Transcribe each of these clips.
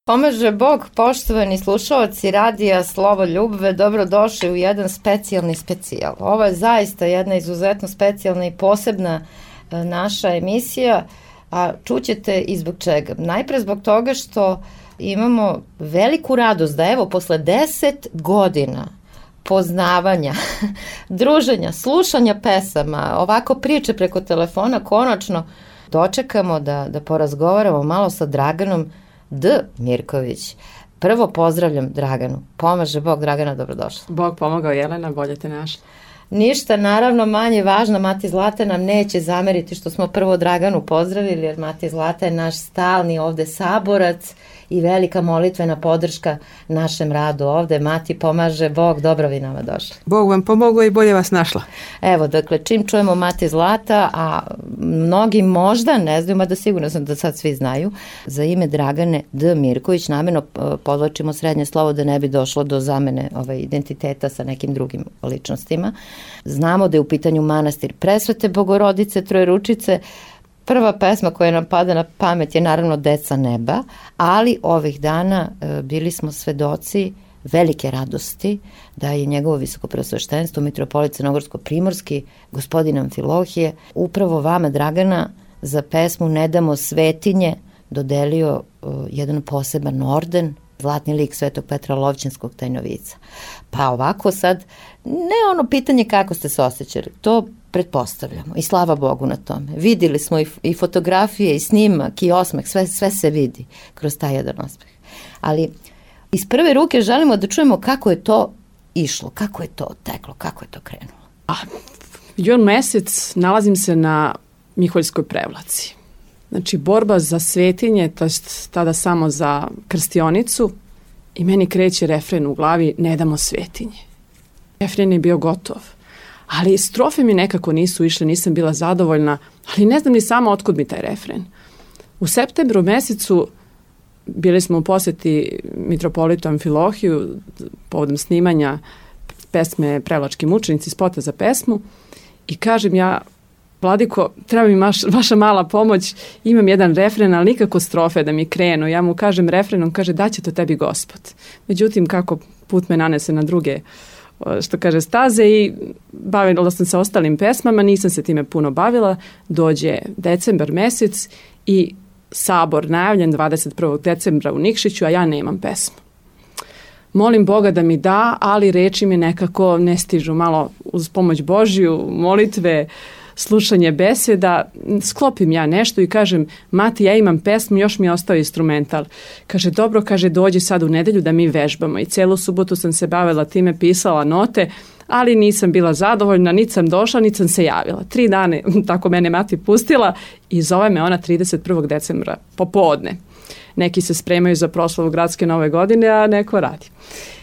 Pomaže Bog, poštovani slušaoci radija Slovo Ljubve, dobrodošli u jedan specijalni specijal. Ovo je zaista jedna izuzetno specijalna i posebna naša emisija, a čućete i zbog čega. Najpre zbog toga što imamo veliku radost da evo posle 10 godina poznavanja, druženja, slušanja pesama, ovako priče preko telefona, konačno dočekamo da porazgovaramo malo sa Draganom D. Mirković. Prvo pozdravljam Draganu. Pomaže Bog, Dragana, dobrodošla. Bog pomogao, Jelena, bolje te našla. Ništa, naravno, manje važno, Mati Zlata nam neće zameriti što smo prvo Draganu pozdravili, jer Mati Zlata je naš stalni ovde saborac i velika molitvena podrška našem radu ovde. Mati, pomaže Bog, dobro vi nama došli. Bog vam pomogao i bolje vas našla. Evo, dakle, čim čujemo Mati Zlata, a mnogi možda ne znaju, mada sigurno sam da sad svi znaju, za ime Dragane D. Mirković, namjerno podlačimo srednje slovo da ne bi došlo do zamene identiteta sa nekim drugim ličnostima. Znamo da je u pitanju manastir Presvete Bogorodice Trojeručice. Prva pesma koja nam pada na pamet je naravno Deca neba, ali ovih dana bili smo svedoci velike radosti da je njegovo visokopreosveštenstvo mitropolit Crnogorsko-primorski, gospodin Amfilohije, upravo vama, Dragana, za pesmu Ne damo svetinje dodelio jedan poseban orden, Zlatni lik Svetog Petra Lovćenskog Tajnovica. Pa ovako sad, ne ono pitanje kako ste se osjećali, to pretpostavljamo i slava Bogu na tome. Vidjeli smo i fotografije i snimak i osmeh, sve se vidi kroz taj jedan osmeh. Ali iz prve ruke želimo da čujemo kako je to išlo, kako je to teklo, kako je to krenulo. Jun mesec nalazim se na Miholjskoj prevlaci. Znači, borba za svetinje, to jest tada samo za krstionicu, i meni kreće refren u glavi Ne damo svetinje. Refren je bio gotov, ali strofe mi nekako nisu išle, nisam bila zadovoljna, ali ne znam ni sama otkud mi taj refren. U septembru mesecu bili smo u posjeti mitropolitu Amfilohiju povodom snimanja pesme Prevlački mučenici, spota za pesmu, i kažem ja: Vladiko, treba mi vaša mala pomoć, imam jedan refren, ali nikako strofe da mi krenu. Ja mu kažem refren, on kaže daće to tebi Gospod. Međutim, kako put me nanese na druge, što kaže, staze, i bavila sam se ostalim pesmama, nisam se time puno bavila. Dođe decembar mesec i sabor najavljen 21. decembra u Nikšiću, a ja nemam pesmu. Molim Boga da mi da, ali reči mi nekako ne stižu. Malo uz pomoć Božju, molitve, slušanje beseda, sklopim ja nešto i kažem: Mati, ja imam pesmu, još mi je ostao instrumental. Kaže: dobro, kaže, dođi sad u nedelju da mi vežbamo. I celu subotu sam se bavila time, pisala note, ali nisam bila zadovoljna, niti sam došla, niti sam se javila. 3 dana tako mene Mati pustila i zove me ona 31. decembra popodne. Neki se spremaju za proslavu gradske nove godine, a neko radi.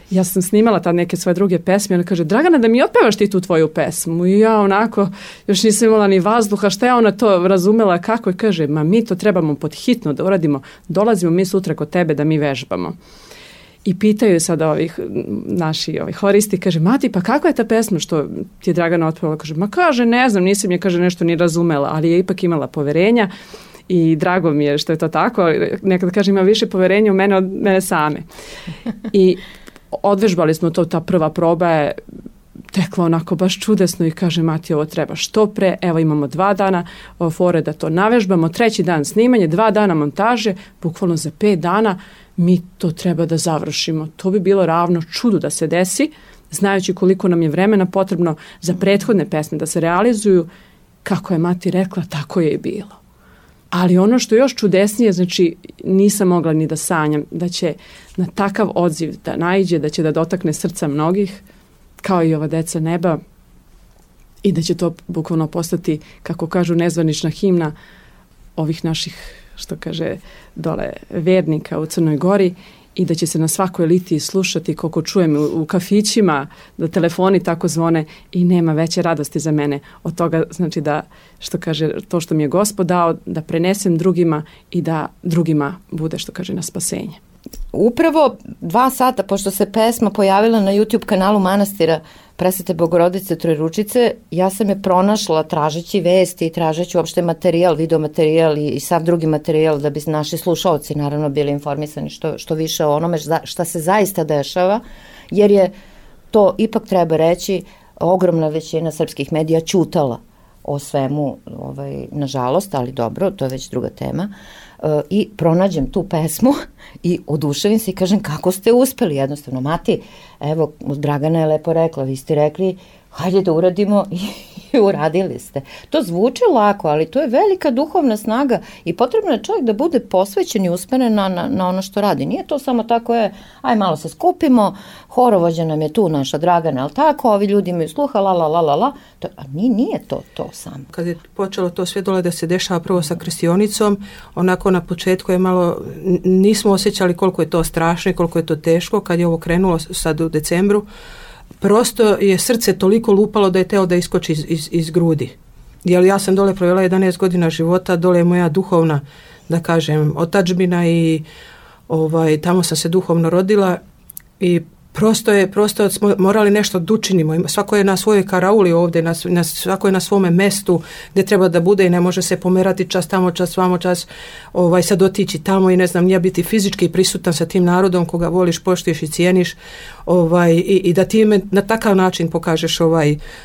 Ja sam snimala tad neke svoje druge pesme, ona kaže: Dragana, da mi otpevaš ti tu tvoju pesmu. I ja onako, još nisam imala ni vazduha, šta je ona to razumela kako, je kaže: ma mi to trebamo pod hitno da uradimo, dolazimo mi sutra kod tebe da mi vežbamo. I pitaju sada naši horisti, kaže: Mati, pa kakva je ta pesma što ti je Dragana otpevala? Kaže: ma kaže, ne znam, nisam je, kaže, nešto ni razumela, ali je ipak imala poverenja. I drago mi je što je to tako, nekada kaže ima više poverenja u mene od mene same. I odvežbali smo to, ta prva proba je tekla onako baš čudesno i kaže: Mati, ovo treba što pre, evo imamo 2 dana fore da to navežbamo, 3. dan snimanje, 2 dana montaže, bukvalno za 5 dana mi to treba da završimo. To bi bilo ravno čudu da se desi, znajući koliko nam je vremena potrebno za prethodne pesme da se realizuju. Kako je Mati rekla, tako je i bilo. Ali ono što je još čudesnije, znači nisam mogla ni da sanjam da će na takav odziv da naiđe, da će da dotakne srca mnogih, kao i ova Deca neba, i da će to bukvalno postati, kako kažu, nezvanična himna ovih naših, što kaže, dole vernika u Crnoj Gori, i da će se na svakoj litiji slušati, koliko čujem u kafićima, da telefoni tako zvone, i nema veće radosti za mene od toga, znači da, što kaže, to što mi je Gospod dao, da prenesem drugima i da drugima bude, što kaže, na spasenje. Upravo 2 sata, pošto se pesma pojavila na YouTube kanalu manastira Presvete Bogorodice Trojeručice, ja sam je pronašla tražeći vesti i tražeći uopšte materijal, videomaterijal i sav drugi materijal da bi naši slušaoci naravno bili informisani što više o onome šta se zaista dešava, jer je to, ipak treba reći, ogromna većina srpskih medija ćutala o svemu, nažalost, ali dobro, to je već druga tema. I pronađem tu pesmu i oduševim se i kažem kako ste uspeli, jednostavno, Mati, evo, Dragana je lepo rekla, vi ste rekli, hajde da uradimo i uradili ste. To zvuči lako, ali to je velika duhovna snaga i potrebno je čovjek da bude posvećen i usmeren na ono što radi. Nije to samo tako aj malo se skupimo, horovođa nam je tu naša Dragana, ali tako, ovi ljudi imaju sluha, la. A nije to samo. Kad je počelo to sve dole da se dešava prvo sa krštionicom, onako na početku je malo, nismo osjećali koliko je to strašno i koliko je to teško. Kad je ovo krenulo sad u decembru, prosto je srce toliko lupalo da je teo da iskoči iz grudi. Jer ja sam dole provela 11 godina života, dole je moja duhovna, da kažem, otadžbina i tamo sam se duhovno rodila i prosto smo morali nešto da učinimo. Svako je na svojoj karauli ovdje, svako je na svome mestu gdje treba da bude i ne može se pomerati čas tamo, čas vamo, čas sad otići tamo i ne znam, nije biti fizički prisutan sa tim narodom koga voliš, poštuješ i cijeniš i da ti na takav način pokažeš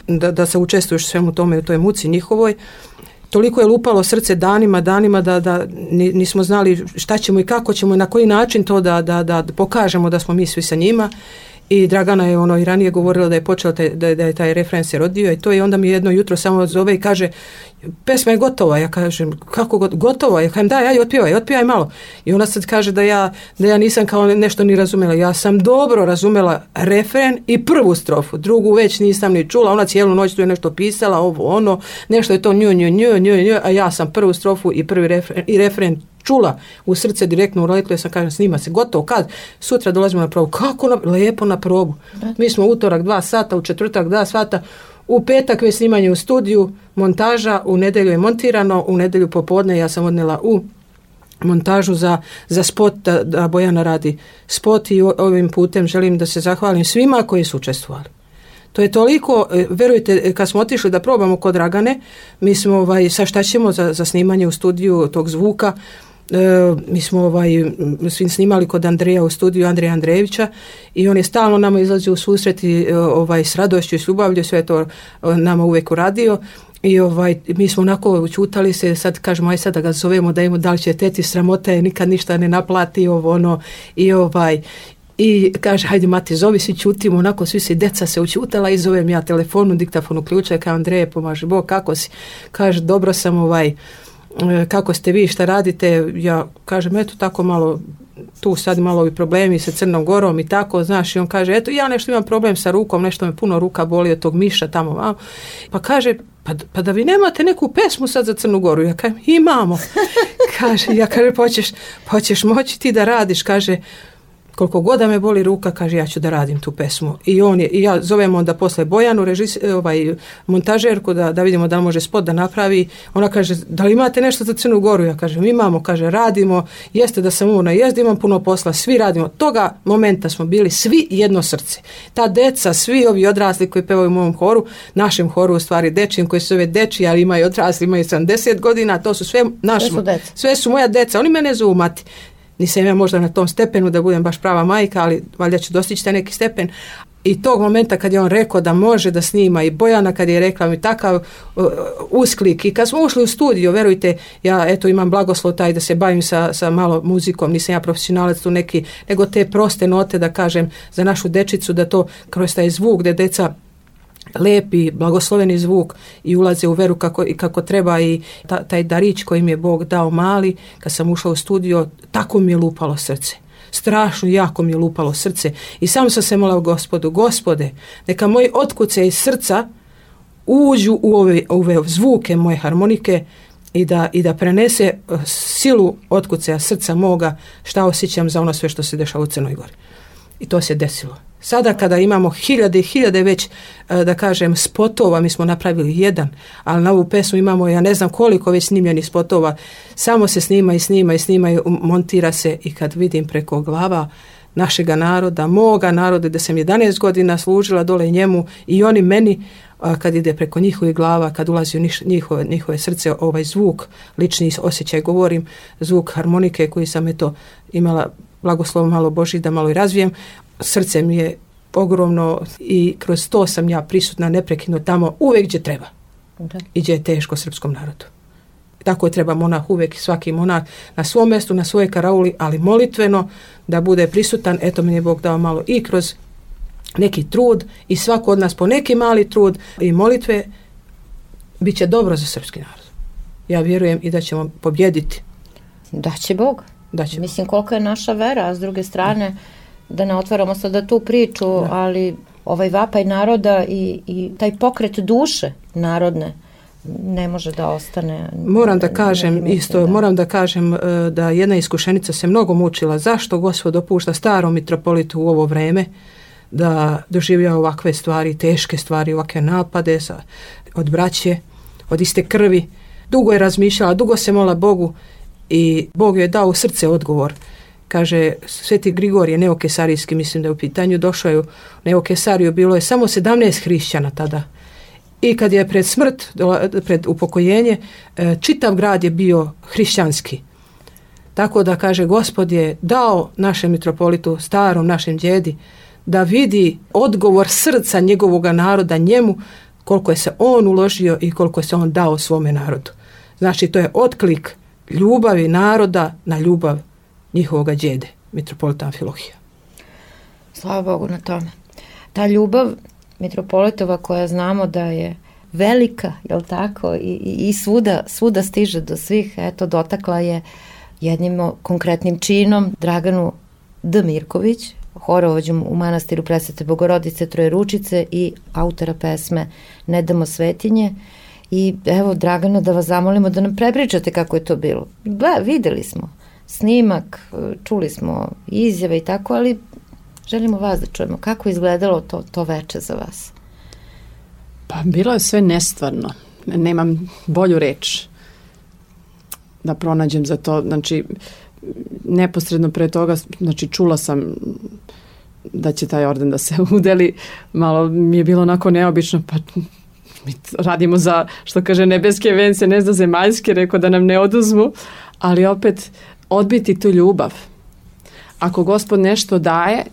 da se učestvuješ svemu tome u toj muci njihovoj. Toliko je lupalo srce danima da nismo znali šta ćemo i kako ćemo i na koji način to da pokažemo da smo mi svi sa njima. I Dragana je i ranije govorila da je počela da je taj refren se rodio i to i onda mi jedno jutro samo zove i kaže pesma je gotova. Ja kažem kako gotova? Ja kažem daj, ajde otpjevaj malo. I ona sad kaže da ja nisam kao nešto ni razumela. Ja sam dobro razumela refren i prvu strofu, drugu već nisam ni čula. Ona cijelu noć tu je nešto pisala, nešto je to nju, a ja sam prvu strofu i prvi refren čula u srce direktno urodila, sam kažem snima se, gotovo, kad? Sutra dolazimo na probu. Kako? Lijepo na probu. Mi smo utorak 2 sata, u četvrtak 2 sata, u petak je snimanje u studiju, montaža, u nedjelju je montirano, u nedjelju popodne ja sam odnela u montažu za spot, da Bojana radi spot i ovim putem želim da se zahvalim svima koji su učestvovali. To je toliko, verujte, kad smo otišli da probamo kod Dragane, mi smo sa šta ćemo za snimanje u studiju tog zvuka, mi smo svi snimali kod Andreja u studiju, Andreja Andrejevića i on je stalno nama izlazio u susret i s radošću i s ljubavlju, sve to nama uvijek uradio i mi smo onako učutali se, sad kažemo aj sad da ga zovemo da da li će teti sramota je nikad ništa ne naplati i kaže, hajde Mati, zovi, svi čutimo, onako svi si deca se učutala i zovem ja telefonu, diktafonu ključa, kao Andreje, pomaže Bog, kako si? Kaže, dobro sam, kako ste vi, šta radite? Ja kažem, eto tako malo, tu sad malo ovi problemi sa Crnom Gorom i tako, znaš, i on kaže, eto ja nešto imam problem sa rukom, nešto me puno ruka boli od tog miša tamo, malo. Pa kaže, pa da vi nemate neku pesmu sad za Crnu Goru? Ja kažem, imamo. Kaže, ja kaže, pa ćeš moći ti da radiš, kaže, koliko god da me boli ruka, kaže ja ću da radim tu pesmu. I ja zovem onda posle Bojanu, montažerku da vidimo da li može spot da napravi. Ona kaže, da li imate nešto za Crnu Goru? Ja kažem, imamo, kaže, radimo, jeste da sam umorna, jeste imam puno posla, svi radimo. Toga momenta smo bili svi jedno srce. Ta deca, svi ovi odrasli koji pevaju u mom horu, našem horu u stvari dečijim, koji se zove deči, ali imaju odrasli, imaju 70 godina, to su sve naši, sve su moja deca, oni mene zovu Mati. Nisam ja možda na tom stepenu da budem baš prava majka, ali valjda ću dostići taj neki stepen. I tog momenta kad je on rekao da može da snima i Bojana kad je rekla mi takav usklik i kad smo ušli u studio, verujte, ja eto imam blagoslov taj da se bavim sa malo muzikom, nisam ja profesionalac tu neki, nego te proste note da kažem za našu dečicu da to kroz taj zvuk gde deca lepi, blagosloveni zvuk i ulaze u veru kako treba i taj darić koji mi je Bog dao mali, kad sam ušla u studio, tako mi je lupalo srce. Strašno jako mi je lupalo srce i samo sam se molila Gospodu, Gospode, neka moji otkuce iz srca uđu u ove zvuke moje harmonike i da prenese silu otkucaja srca moga šta osjećam za ono sve što se dešava u Crnoj Gori. I to se desilo. Sada kada imamo hiljade i hiljade već, da kažem, spotova, mi smo napravili jedan, ali na ovu pesmu imamo, ja ne znam koliko već snimljenih spotova, samo se snima i montira se i kad vidim preko glava našega naroda, moga naroda, da sam 11 godina služila dole njemu i oni meni, kad ide preko njihovih glava, kad ulazi u njihove srce, ovaj zvuk, lični osjećaj, govorim, zvuk harmonike koji sam imala blagoslov malo Božji da malo i razvijem, srce mi je ogromno i kroz to sam ja prisutna neprekidno tamo uvijek gdje treba. I gdje je teško srpskom narodu. Tako je treba monah uvijek, svaki monah na svom mjestu, na svojoj karauli, ali molitveno da bude prisutan. Eto, mi je Bog dao malo i kroz neki trud i svako od nas po neki mali trud i molitve, bit će dobro za srpski narod. Ja vjerujem i da ćemo pobjediti. Da će Bog. Mislim, koliko je naša vera, a s druge strane, da ne otvaramo sada tu priču, ali ovaj vapaj naroda i taj pokret duše narodne ne može da ostane. Moram da kažem da jedna iskušenica se mnogo mučila. Zašto Gospod dopušta starom mitropolitu u ovo vreme da doživlja ovakve stvari, teške stvari, ovakve napade od braće, od iste krvi. Dugo je razmišljala, dugo se molila Bogu i Bog joj je dao u srce odgovor. Kaže, Sveti Grigorije Neokesarijski, mislim da je u pitanju, došao je u Neokesariju, bilo je samo 17 hrišćana tada. I kad je pred smrt, pred upokojenje, čitav grad je bio hrišćanski. Tako da, kaže, Gospod je dao našem mitropolitu, starom našem djedi, da vidi odgovor srca njegovoga naroda njemu, koliko je se on uložio i koliko je se on dao svome narodu. Znači, to je otklik ljubavi naroda na ljubav njihovoga djede, mitropolita Amfilohija. Slava Bogu na tome. Ta ljubav mitropolitova koja znamo da je velika, jel tako, i svuda stiže do svih, eto, dotakla je jednim konkretnim činom Draganu D. Mirković, horovođom u manastiru Presvete Bogorodice Trojeručice i autora pesme Ne damo svetinje. I evo, Dragana, da vas zamolimo da nam prepričate kako je to bilo. Videli smo snimak, čuli smo izjave i tako, ali želimo vas da čujemo. Kako je izgledalo to veče za vas? Pa bilo je sve nestvarno. Nemam bolju reč da pronađem za to. Znači, neposredno pre toga, znači, čula sam da će taj orden da se udeli. Malo mi je bilo onako neobično, pa mi radimo za, što kaže, nebeske vence, ne za zemaljske, rekao da nam ne oduzmu, ali opet odbiti tu ljubav. Ako Gospod nešto daje,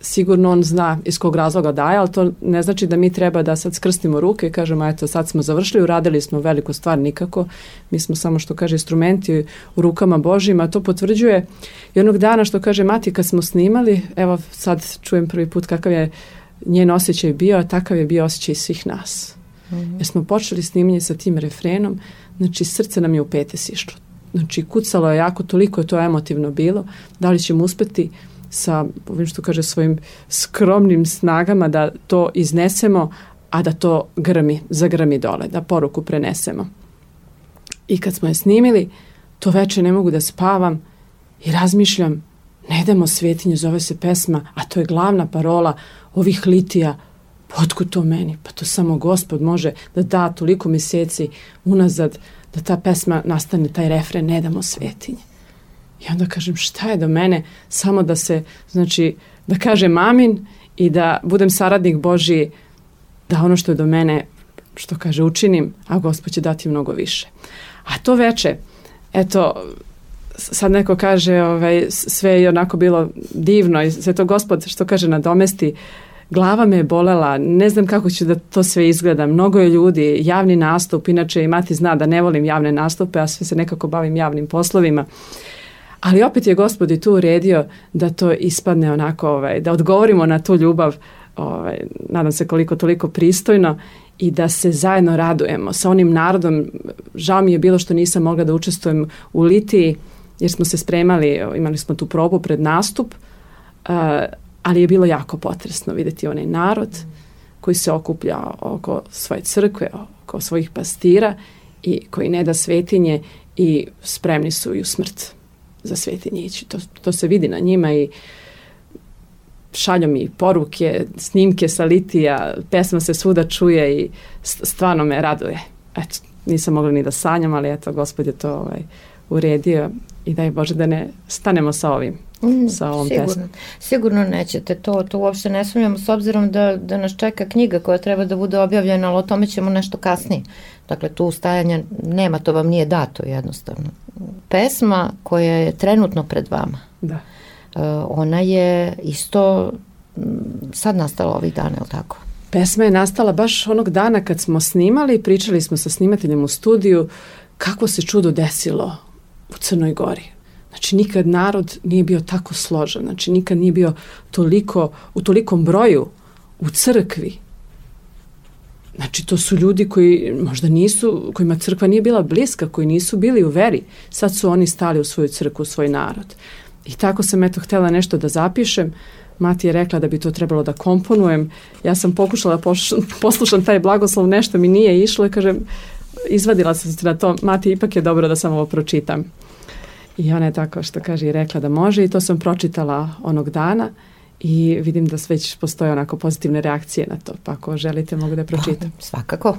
sigurno on zna iz kog razloga daje, ali to ne znači da mi treba da sad skrstimo ruke i kažemo, eto, sad smo završili, uradili smo veliku stvar, nikako. Mi smo samo, što kaže, instrumenti u rukama Božjima. To potvrđuje i onog dana, što kaže mati, kad smo snimali, evo sad čujem prvi put kakav je njen osjećaj bio, a takav je bio osjećaj svih nas. Jer smo počeli snimanje sa tim refrenom, znači srce nam je u pete sišlo. Znači kucalo je jako, toliko je to emotivno bilo. Da li ćemo uspjeti sa, što kaže, svojim skromnim snagama da to iznesemo, a da to zagrmi dole, da poruku prenesemo. I kad smo je snimili, to veče ne mogu da spavam i razmišljam, ne damo svetinje, zove se pesma, a to je glavna parola ovih litija. Otkud to meni? Pa to samo Gospod može da da toliko mjeseci unazad da ta pesma nastane, taj refren, ne damo svetinje. I onda kažem, šta je do mene? Samo da se, znači, da kažem amin i da budem saradnik Božji, da ono što je do mene, što kaže, učinim, a Gospod će dati mnogo više. A to veče, eto, sad neko kaže, sve je onako bilo divno i sve to Gospod, što kaže, nadomesti. Glava me je bolela, ne znam kako će da to sve izgleda, mnogo je ljudi, javni nastup, inače i mati zna da ne volim javne nastupe, a sve se nekako bavim javnim poslovima, ali opet je Gospod i tu uredio da to ispadne onako, da odgovorimo na tu ljubav, nadam se koliko toliko pristojno i da se zajedno radujemo sa onim narodom. Žao mi je bilo što nisam mogla da učestvujem u litiji, jer smo se spremali, imali smo tu probu pred nastup, ali je bilo jako potresno vidjeti onaj narod koji se okuplja oko svoje crkve, oko svojih pastira i koji ne da svetinje i spremni su i u smrt za svetinje ići. To se vidi na njima i šalju mi poruke, snimke sa litija, pesma se svuda čuje i stvarno me raduje. Eto, nisam mogla ni da sanjam, ali eto, Gospod je to uredio i daj Bože da ne stanemo sa ovim. Sa ovom pesmom. Sigurno nećete, to uopšte ne sumnjamo, s obzirom da nas čeka knjiga koja treba da bude objavljena, ali o tome ćemo nešto kasnije. Dakle, tu ustajanja nema, to vam nije dato jednostavno. Pesma koja je trenutno pred vama, da. Ona je isto sad nastala ovih dana, je li tako? Pesma je nastala baš onog dana kad smo snimali, pričali smo sa snimateljem u studiju kako se čudo desilo u Crnoj Gori. Znači, nikad narod nije bio tako složen, znači nikad nije bio u tolikom broju u crkvi. Znači, to su ljudi koji možda nisu, kojima crkva nije bila bliska, koji nisu bili u veri. Sad su oni stali u svoju crkvu, u svoj narod. I tako sam htjela nešto da zapišem. Mati je rekla da bi to trebalo da komponujem. Ja sam pokušala da poslušam taj blagoslov, nešto mi nije išlo i kažem, izvadila sam se na to, Mati, ipak je dobro da sam ovo pročitam. I ona je tako što kaže i rekla da može i to sam pročitala onog dana i vidim da već postoje onako pozitivne reakcije na to, pa ako želite mogu da pročitam. Svakako.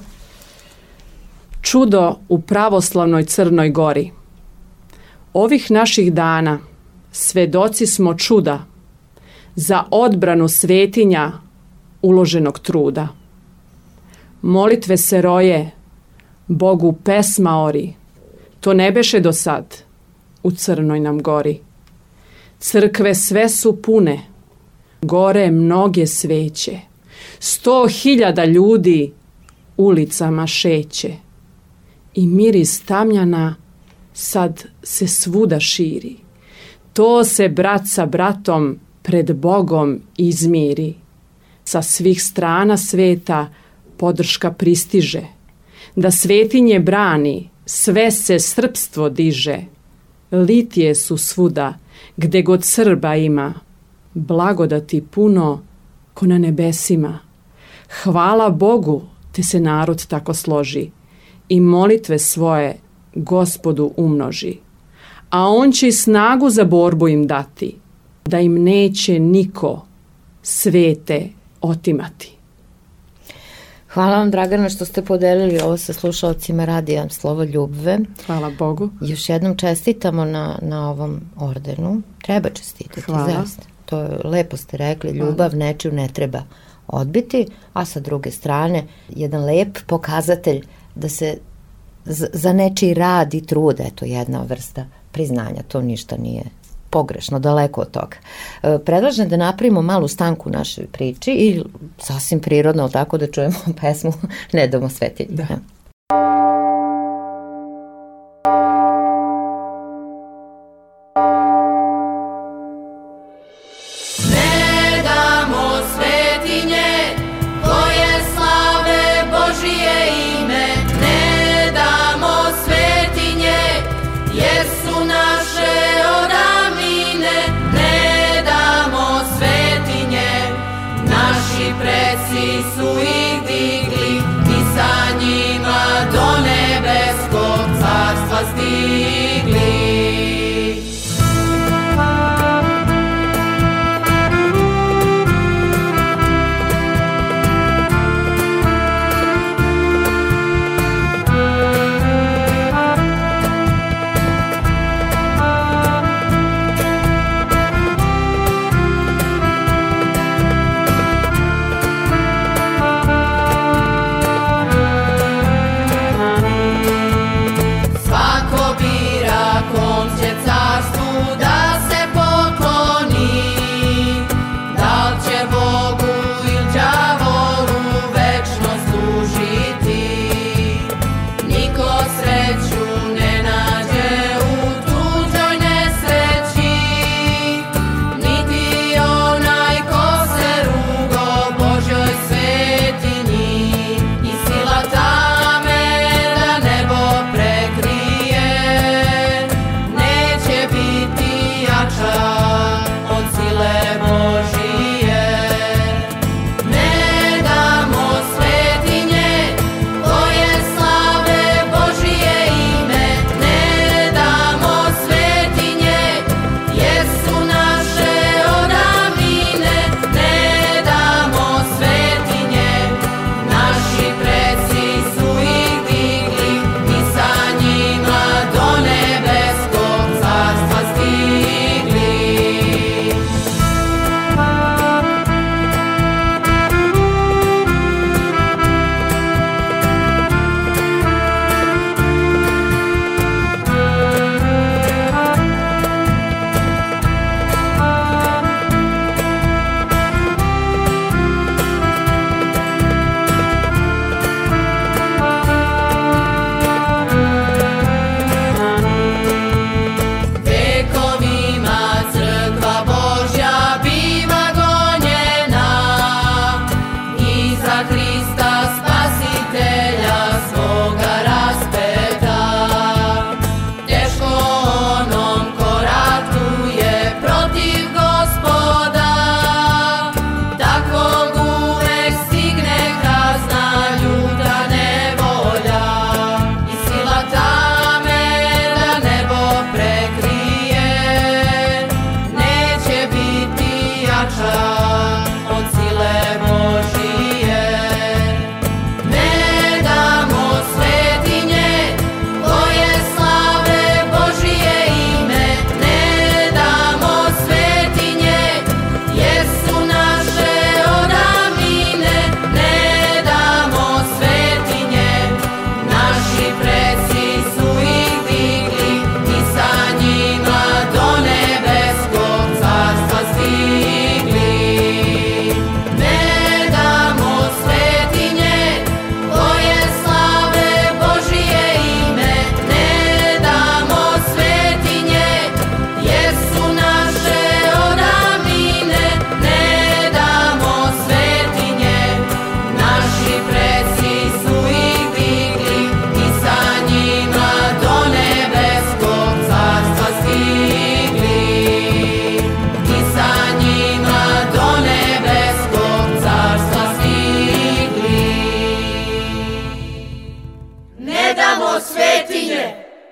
Čudo u pravoslavnoj Crnoj Gori. Ovih naših dana svedoci smo čuda za odbranu svetinja uloženog truda. Molitve se roje, Bogu pesma ori, to ne beše do sad u Crnoj nam Gori. Crkve sve su pune, gore mnoge sveće, 100.000 ljudi ulicama šeće i miris tamjana sad se svuda širi. To se brat sa bratom pred Bogom izmiri. Sa svih strana sveta podrška pristiže. Da svetinje brani, sve se srpstvo diže. Litije su svuda, gde god Srba ima. Blagodati puno, ko na nebesima. Hvala Bogu, te se narod tako složi i molitve svoje Gospodu umnoži. A on će snagu za borbu im dati, da im neće niko svete otimati. Hvala vam, Dragana, što ste podelili ovo sa slušalcima Radija Slovo Ljubve. Hvala Bogu. Još jednom čestitamo na ovom ordenu. Treba čestitati, zaista. To je, lepo ste rekli, ljubav nečiju ne treba odbiti, a sa druge strane jedan lep pokazatelj da se za nečiji rad i trud, eto jedna vrsta priznanja, to ništa nije pogrešno, daleko od toga. Predlažem da napravimo malu stanku u našoj priči i sasvim prirodno tako da čujemo pesmu Ne damo svetinje. Da. Preci su ih digli i sa njima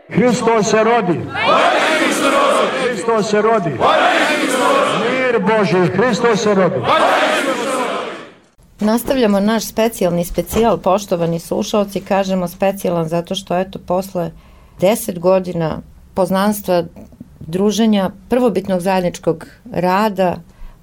Hristos se rodi. Hristos se rodi. Mir Božji, Hristos se rodi. Nastavljamo naš specijalni specijal, poštovani slušalci, kažemo specijalan zato što eto posle 10 godina poznanstva, druženja, prvobitnog zajedničkog rada,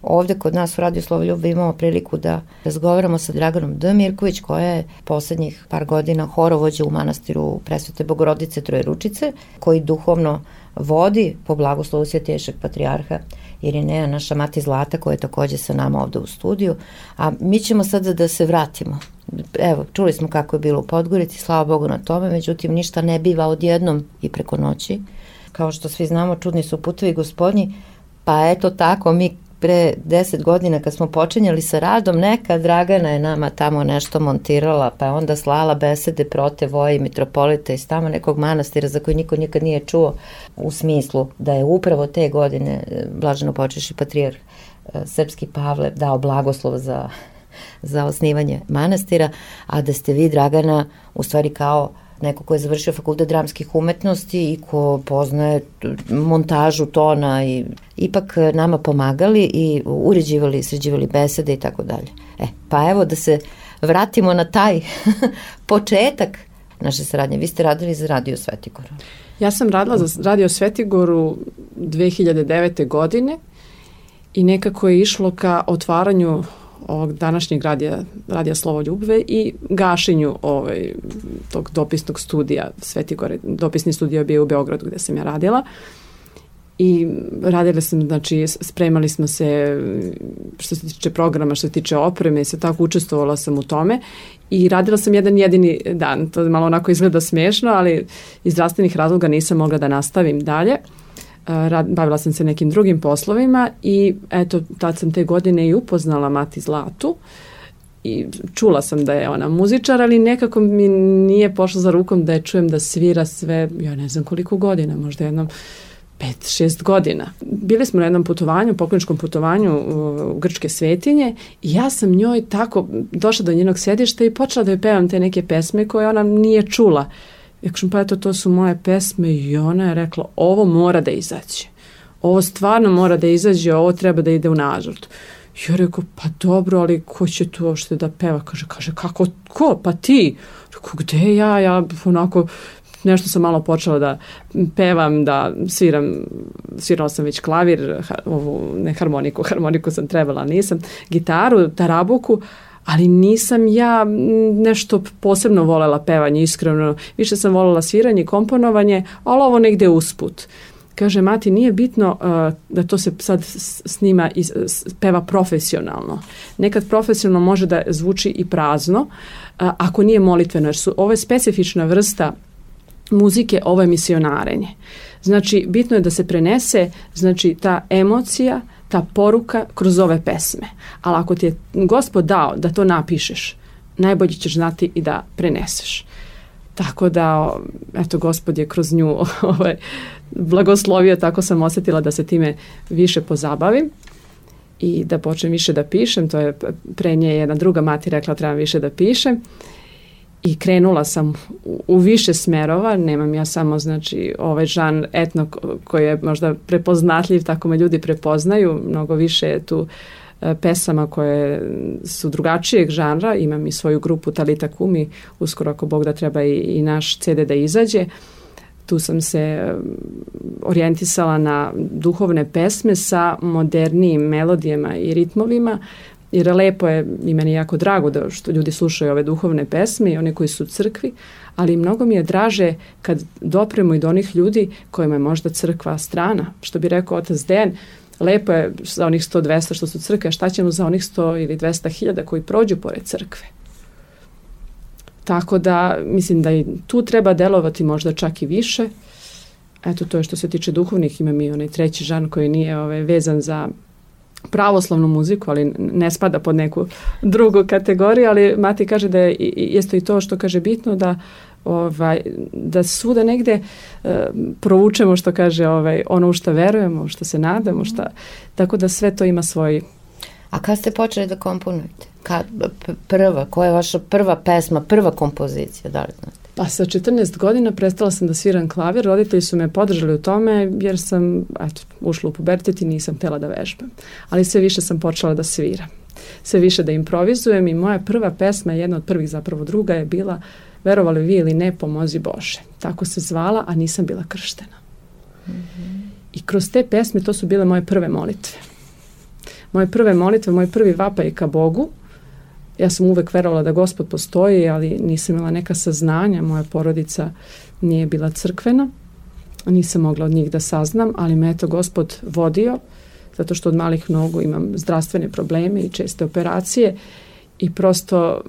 ovde kod nas u Radio Slovoljub imamo priliku da razgovaramo sa Draganom D. Mirković, koja je poslednjih par godina horovođa u manastiru Presvete Bogorodice Trojeručice, koji duhovno vodi po blagoslovu Svetejšeg patrijarha Irineja, naša mati Zlata, koja je takođe sa nama ovde u studiju. A mi ćemo sada da se vratimo. Evo, čuli smo kako je bilo u Podgorici, slava Bogu na tome, međutim ništa ne biva odjednom i preko noći. Kao što svi znamo, čudni su putevi Gospodnji, pa eto tako mi pre 10 godina kad smo počinjali sa radom, neka Dragana je nama tamo nešto montirala, pa je onda slala besede protevoji mitropolita iz tamo nekog manastira za koji niko nikad nije čuo, u smislu da je upravo te godine blaženo počeši patrijarh srpski Pavle dao blagoslov za osnivanje manastira, a da ste vi, Dragana, u stvari kao neko ko je završio fakultet dramskih umetnosti i ko poznaje montažu tona i ipak nama pomagali i uređivali, sređivali besede i tako dalje. Pa evo da se vratimo na taj početak naše saradnje. Vi ste radili za Radio Svetigoru. Ja sam radila za Radio Svetigoru 2009. godine i nekako je išlo ka otvaranju ovog današnjeg radija Slovoljubve i gašenju tog dopisnog studija Svetigore. Dopisni studio je bio u Beogradu gde sam ja radila i radila sam, znači spremali smo se što se tiče programa, što se tiče opreme, se tako učestvovala sam u tome i radila sam jedan jedini dan. To malo onako izgleda smešno, ali iz zdravstvenih razloga nisam mogla da nastavim dalje. Bavila sam se nekim drugim poslovima i eto, tad sam te godine i upoznala mati Zlatu i čula sam da je ona muzičar, ali nekako mi nije pošlo za rukom da je čujem da svira sve, ja ne znam koliko godina, možda jednom 5-6 godina. Bili smo na jednom putovanju, pokloničkom putovanju u Grčke Svetinje i ja sam njoj tako došla do njenog sedišta i počela da joj pevam te neke pesme koje ona nije čula. Ja kažem, pa eto, to su moje pesme i ona je rekla, ovo mora da izađe. Ovo stvarno mora da izađe, ovo treba da ide u nažrt. Ja rekao, pa dobro, ali ko će tu uopšte da peva? Kaže, kako, ko? Pa ti? Rekao, gde ja? Ja onako, nešto sam malo počela da pevam, da svirala sam već klavir, harmoniku sam trebala, nisam, gitaru, tarabuku, ali nisam ja nešto posebno volela pevanje, iskreno. Više sam volela sviranje i komponovanje, ali ovo negde usput. Kaže, mati, nije bitno da to se sad snima i peva profesionalno. Nekad profesionalno može da zvuči i prazno, ako nije molitveno, jer ovo je specifična vrsta muzike, ovo je misionarenje. Znači, bitno je da se prenese, znači, ta emocija, ta poruka kroz ove pesme. Ali ako ti je Gospod dao da to napišeš, najbolje ćeš znati i da preneseš. Tako da, eto, Gospod je kroz nju blagoslovio, tako sam osjetila da se time više pozabavim i da počnem više da pišem. To je pre nje jedna druga mati rekla, trebam više da pišem. I krenula sam u više smerova, nemam ja samo znači ovaj žanr etno koji je možda prepoznatljiv, tako me ljudi prepoznaju, mnogo više je tu pesama koje su drugačijeg žanra, imam i svoju grupu Talita Kumi, uskoro ako Bog da treba i naš CD da izađe. Tu sam se orijentisala na duhovne pesme sa modernijim melodijama i ritmovima, jer lepo je i meni jako drago da što ljudi slušaju ove duhovne pesme i one koji su u crkvi, ali mnogo mi je draže kad dopremo i do onih ljudi kojima je možda crkva strana. Što bi rekao otac Dejan, lepo je za onih 100-200 što su crkve, šta ćemo za onih 100 ili 200.000 koji prođu pored crkve. Tako da mislim da i tu treba delovati možda čak i više. Eto, to je što se tiče duhovnih, imam i onaj treći žanr koji nije vezan za pravoslavnu muziku, ali ne spada pod neku drugu kategoriju, ali Mati kaže da je isto i to što kaže bitno da svuda negde provučemo što kaže ono u što verujemo, u što se nadamo, tako da sve to ima svoj. A kad ste počeli da komponujete? Koja je vaša prva pesma, prva kompozicija, da li znate? Pa sa 14 godina prestala sam da sviram klavir, roditelji su me podržali u tome jer sam ušla u pubertet i nisam htjela da vežbam. Ali sve više sam počela da sviram, sve više da improvizujem i moja prva pesma, jedna od prvih zapravo druga je bila Verovali vi ili ne, Pomozi Bože. Tako se zvala, a nisam bila krštena. Mm-hmm. I kroz te pesme to su bile moje prve molitve. Moje prve molitve, moj prvi vapaj ka Bogu. Ja sam uvek verovala da Gospod postoji, ali nisam imala neka saznanja. Moja porodica nije bila crkvena. Nisam mogla od njih da saznam, ali me eto Gospod vodio, zato što od malih nogu imam zdravstvene probleme i česte operacije i prosto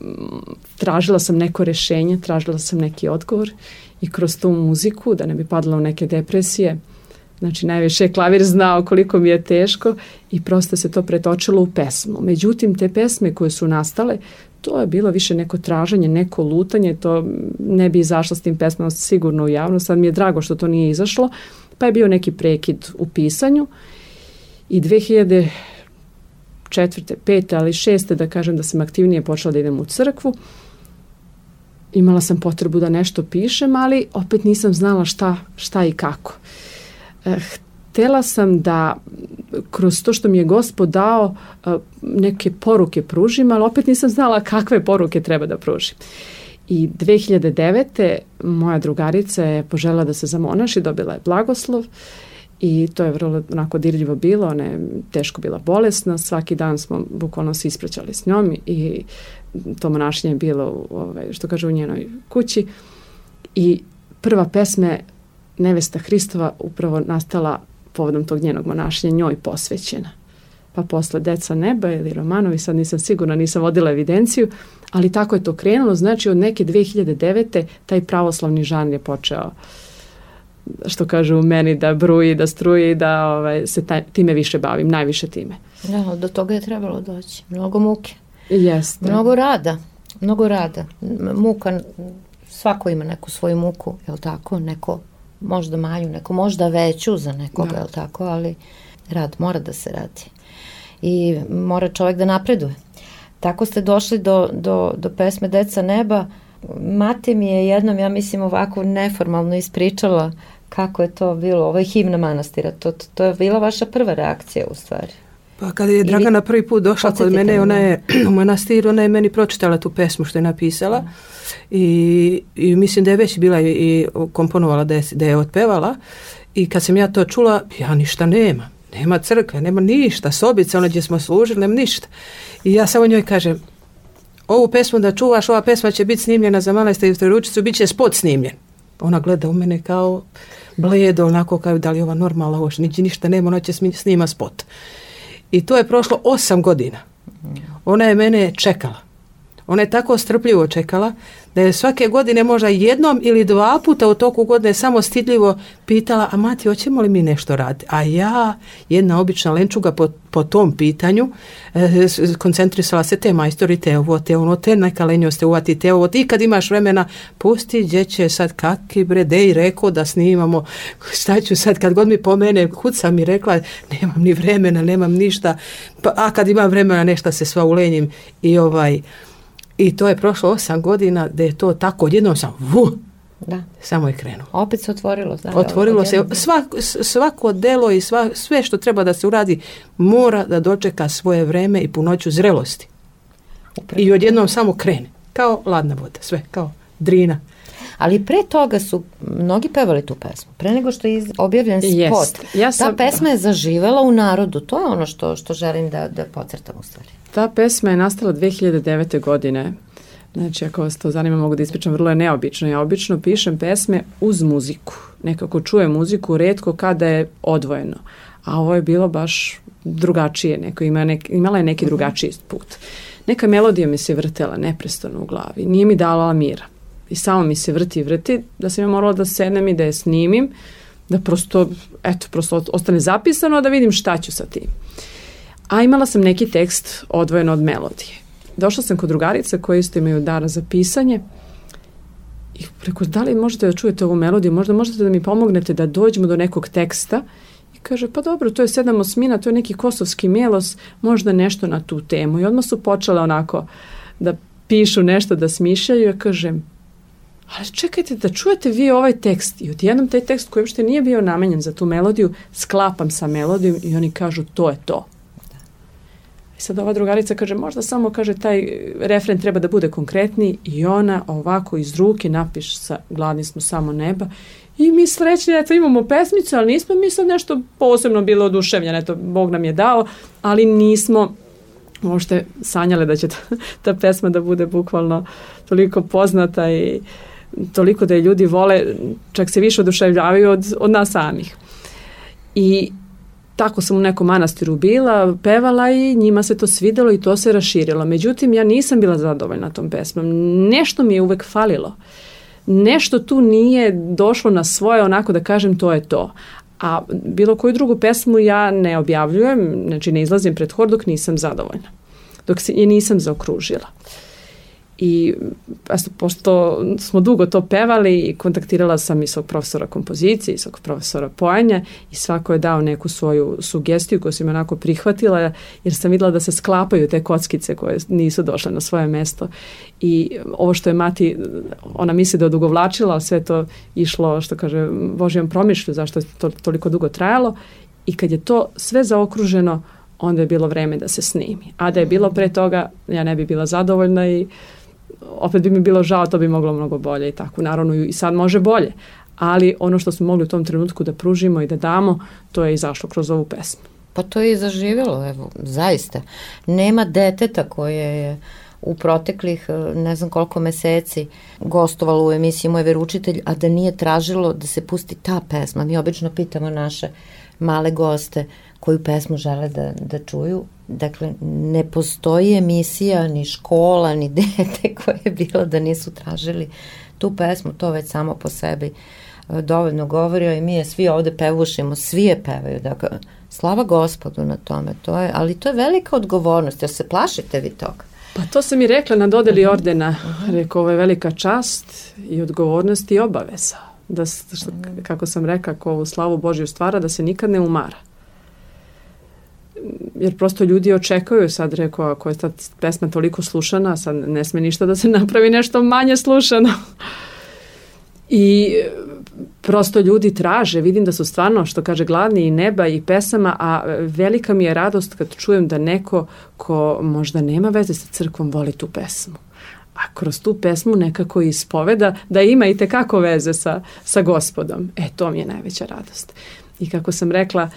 tražila sam neko rešenje, tražila sam neki odgovor i kroz tu muziku, da ne bi padala u neke depresije, znači najviše je klavir znao koliko mi je teško i prosto se to pretočilo u pesmu. Međutim, te pesme koje su nastale, to je bilo više neko traženje, neko lutanje, to ne bi izašlo s tim pesmama sigurno u javnost, sad mi je drago što to nije izašlo, pa je bio neki prekid u pisanju i 2004. 5. ali 6. da kažem da sam aktivnije počela da idem u crkvu. Imala sam potrebu da nešto pišem, ali opet nisam znala šta i kako. Htela sam da kroz to što mi je Gospod dao neke poruke pružim, ali opet nisam znala kakve poruke treba da pružim. I 2009. moja drugarica je poželjela da se zamonaši, dobila je blagoslov i to je vrlo onako dirljivo bilo, ona je teško bila bolesna, svaki dan smo bukvalno se ispraćali s njom i to monašenje je bilo što kaže u njenoj kući i prva pesma Nevesta Hristova upravo nastala povodom tog njenog monašenja, njoj posvećena. Pa posle Deca neba ili Romanovi, sad nisam sigurna, nisam vodila evidenciju, ali tako je to krenulo, znači od neke 2009. taj pravoslavni žanr je počeo, što kažu u meni, da bruji, da struji, da se time više bavim, najviše time. Da, do toga je trebalo doći. Mnogo muke. Jeste. Mnogo rada. Muka, svako ima neku svoju muku, je li tako? Neko možda manju, neko možda veću za nekoga, je li tako? Ali rad mora da se radi. I mora čovjek da napreduje. Tako ste došli do pesme Deca neba. Mati mi je jednom, ja mislim, ovako neformalno ispričala kako je to bilo. Ovo je himna manastira. To je bila vaša prva reakcija u stvari. Pa kada je Dragana prvi put došla kod mene, ona je u manastiru, ona je meni pročitala tu pesmu što je napisala i mislim da je već bila i komponovala da je otpevala i kad sam ja to čula, ja ništa nema crkve, nema ništa, sobica, ono gdje smo služili, nema ništa. I ja samo njoj kažem, ovu pesmu da čuvaš, ova pesma će biti snimljena za manastir i Trojeručicu, bit će spot snimljen. Ona gleda u mene kao bledo, onako kao da li je ova normalna, ovo ništa nema, ona će snima spot. I to je prošlo 8 godina. Ona je mene čekala. Ona je tako strpljivo čekala da je svake godine možda jednom ili 2 puta u toku godine samo stidljivo pitala, a mati, hoćemo li mi nešto raditi? A ja, jedna obična lenčuga po tom pitanju, koncentrisala se te majstori, te ovo, te ono, te neka lenjost, te uvati, te ovo, ti kad imaš vremena, pusti, gdje će sad kaki bre, dej rekao da snimamo, šta ću sad, kad god mi pomene, kud sam mi rekla, nemam ni vremena, nemam ništa, a kad imam vremena, nešto se sva ulenjim I to je prošlo 8 godina da je to tako, odjednom sam, Da. samo je krenulo. Opet se otvorilo. Znači, Otvorilo se, svako delo i sve što treba da se uradi mora da dočeka svoje vreme i punoću zrelosti. Upravo. I odjednom samo krene, kao ladna voda, sve, kao drina. Ali pre toga su mnogi pevali tu pesmu. Pre nego što je objavljen spot. Ta pesma je zaživela u narodu. To je ono što želim da podcrtam u stvari. Ta pesma je nastala 2009. godine. Znači, ako vas to zanima, mogu da ispričam, vrlo je neobično. Ja obično pišem pesme uz muziku. Nekako čujem muziku, retko kada je odvojeno. A ovo je bilo baš drugačije. Imala je neki drugačiji put. Neka melodija mi se vrtela neprestano u glavi. Nije mi dala mira. I samo mi se vrti, da sam ja morala da sednem i da je snimim, da prosto ostane zapisano, da vidim šta ću sa tim. A imala sam neki tekst odvojen od melodije. Došla sam kod drugarice koje isto imaju dar za pisanje i rekao, da li možete da čujete ovu melodiju, možda možete da mi pomognete da dođemo do nekog teksta. I kaže, pa dobro, to je 7/8, to je neki kosovski melos, možda nešto na tu temu. I odmah su počele onako da pišu nešto, da smišljaju. Ja kažem, ali čekajte da čujete vi ovaj tekst. I odjednom taj tekst koji uopšte nije bio namenjen za tu melodiju, sklapam sa melodijom i oni kažu, to je to. I sad ova drugarica kaže, možda samo kaže taj refren treba da bude konkretniji i ona ovako iz ruke napiše sa Gladni smo samo neba i mi srećni, eto imamo pesmicu, ali nismo mi sad nešto posebno bilo oduševljene, eto Bog nam je dao, ali nismo uopšte sanjale da će ta pesma da bude bukvalno toliko poznata i toliko da je ljudi vole, čak se više oduševljavaju od nas samih. I tako sam u nekom manastiru bila, pevala i njima se to svidelo i to se raširilo. Međutim, ja nisam bila zadovoljna tom pesmom. Nešto mi je uvek falilo. Nešto tu nije došlo na svoje, onako da kažem, to je to. A bilo koju drugu pesmu ja ne objavljujem, znači ne izlazim pred hor dok nisam zadovoljna. Dok se je nisam zaokružila. I pošto smo dugo to pevali i kontaktirala sam i svog profesora kompozicije i svog profesora pojenja i svako je dao neku svoju sugestiju koju sam onako prihvatila jer sam vidjela da se sklapaju te kockice koje nisu došle na svoje mesto i ovo što je mati, ona misli da je odugovlačila, sve to išlo, što kaže, Božjom promišlju zašto je to toliko dugo trajalo i kad je to sve zaokruženo onda je bilo vreme da se snimi. A da je bilo pre toga, ja ne bi bila zadovoljna i opet bi mi bilo žao, to bi moglo mnogo bolje i tako. Naravno i sad može bolje, ali ono što smo mogli u tom trenutku da pružimo i da damo, to je izašlo kroz ovu pesmu. Pa to je i zaživjelo, evo, zaista. Nema deteta koje je u proteklih ne znam koliko meseci gostovalo u emisiji Moj veroučitelj, a da nije tražilo da se pusti ta pesma. Mi obično pitamo naše male goste koju pesmu žele da čuju. Dakle, ne postoji emisija, ni škola, ni dete koje je bilo da nisu tražili tu pesmu. To već samo po sebi dovoljno govorio i mi je svi ovde pevušimo, svi je pevaju. Dakle, slava Gospodu na tome. Ali to je velika odgovornost. Jer se plašite vi toga? Pa to sam i rekla na dodeli ordena. Rekao, ovo je velika čast i odgovornost i obaveza. Kako sam rekla, ko ovu slavu Božju stvara, da se nikad ne umara. Jer prosto ljudi očekuju, sad rekao, ako je ta pesma toliko slušana, sad ne sme ništa da se napravi nešto manje slušano. I prosto ljudi traže, vidim da su stvarno, što kaže, gladni i neba i pesama, a velika mi je radost kad čujem da neko ko možda nema veze sa crkvom voli tu pesmu. A kroz tu pesmu nekako ispoveda da ima i tekako veze sa Gospodom. To mi je najveća radost. I kako sam rekla,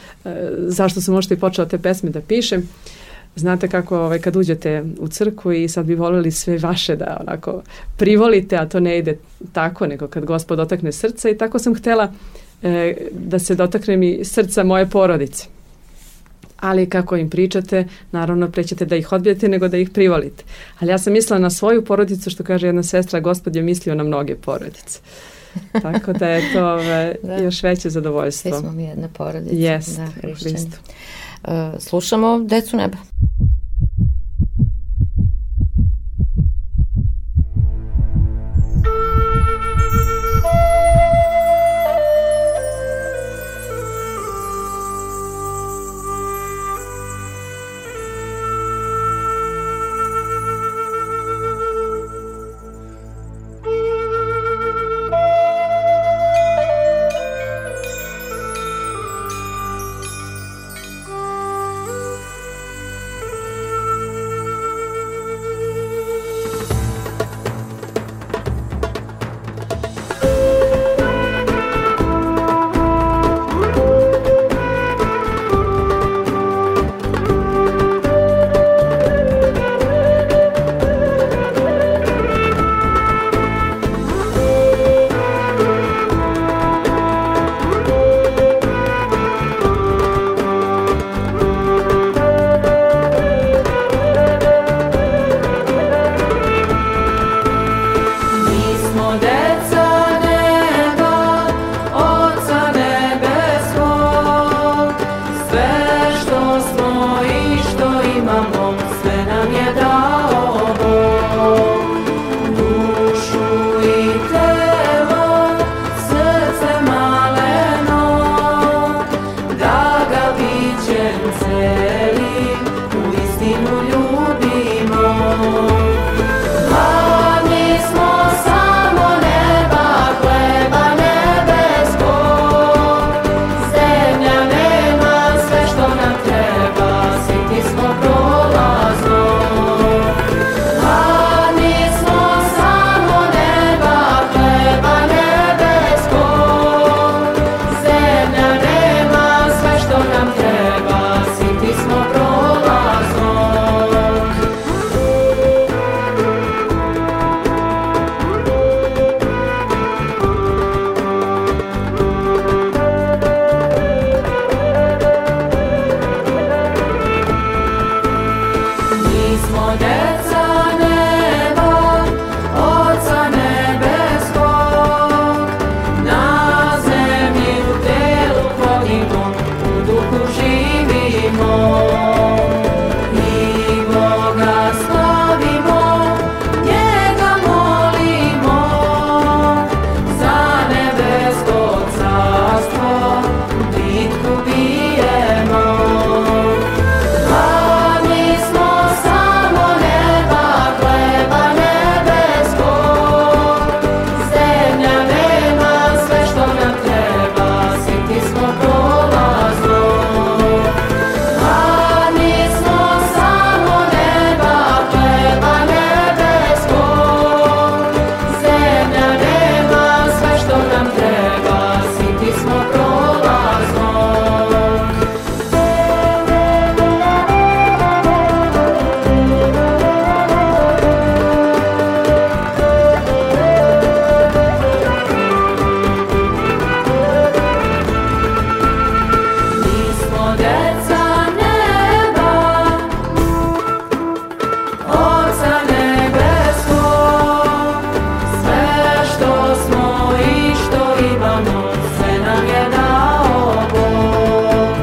zašto sam možda i počela te pesme da pišem, znate kako kad uđete u crkvu i sad bi voljeli sve vaše da onako privolite, a to ne ide tako, nego kad Gospod dotakne srca i tako sam htjela da se dotakne mi srca moje porodice. Ali kako im pričate, naravno prećete da ih odbijete nego da ih privolite. Ali ja sam mislila na svoju porodicu, što kaže jedna sestra, Gospod je mislio na mnoge porodice. Tako da je to još veće zadovoljstvo. Svi smo mi jedna porodica. Jest, hrišćani. Slušamo Decu neba. imamo, sve nam je dao Bog. Dušu i telo, srce maleno, da ga bićem celim u istinu ljubimo. Gladni smo samo neba, hleba nebeskog, zemlja nema sve što nam treba, siti smo prolaznog. Gladni smo samo neba, hleba nebeskog, zemlja nema sve što nam treba, siti smo prolaznog. Mi smo deca neba, Oca nebeskog, na zemlji u telu hodimo, u duhu živimo. I Boga slavimo, njega molimo, za nebesko carstvo bitku bijemo. Gladni smo samo neba, hleba nebeskog, zemlja nema sve što nam treba, siti smo prolaznog. Gladni smo samo neba, hleba nebeskog, zemlja nema sve što nam treba, siti smo prolaznog. Mi smo deca neba, Oca nebeskog, sve što smo i što imamo, sve nam je dao Bog.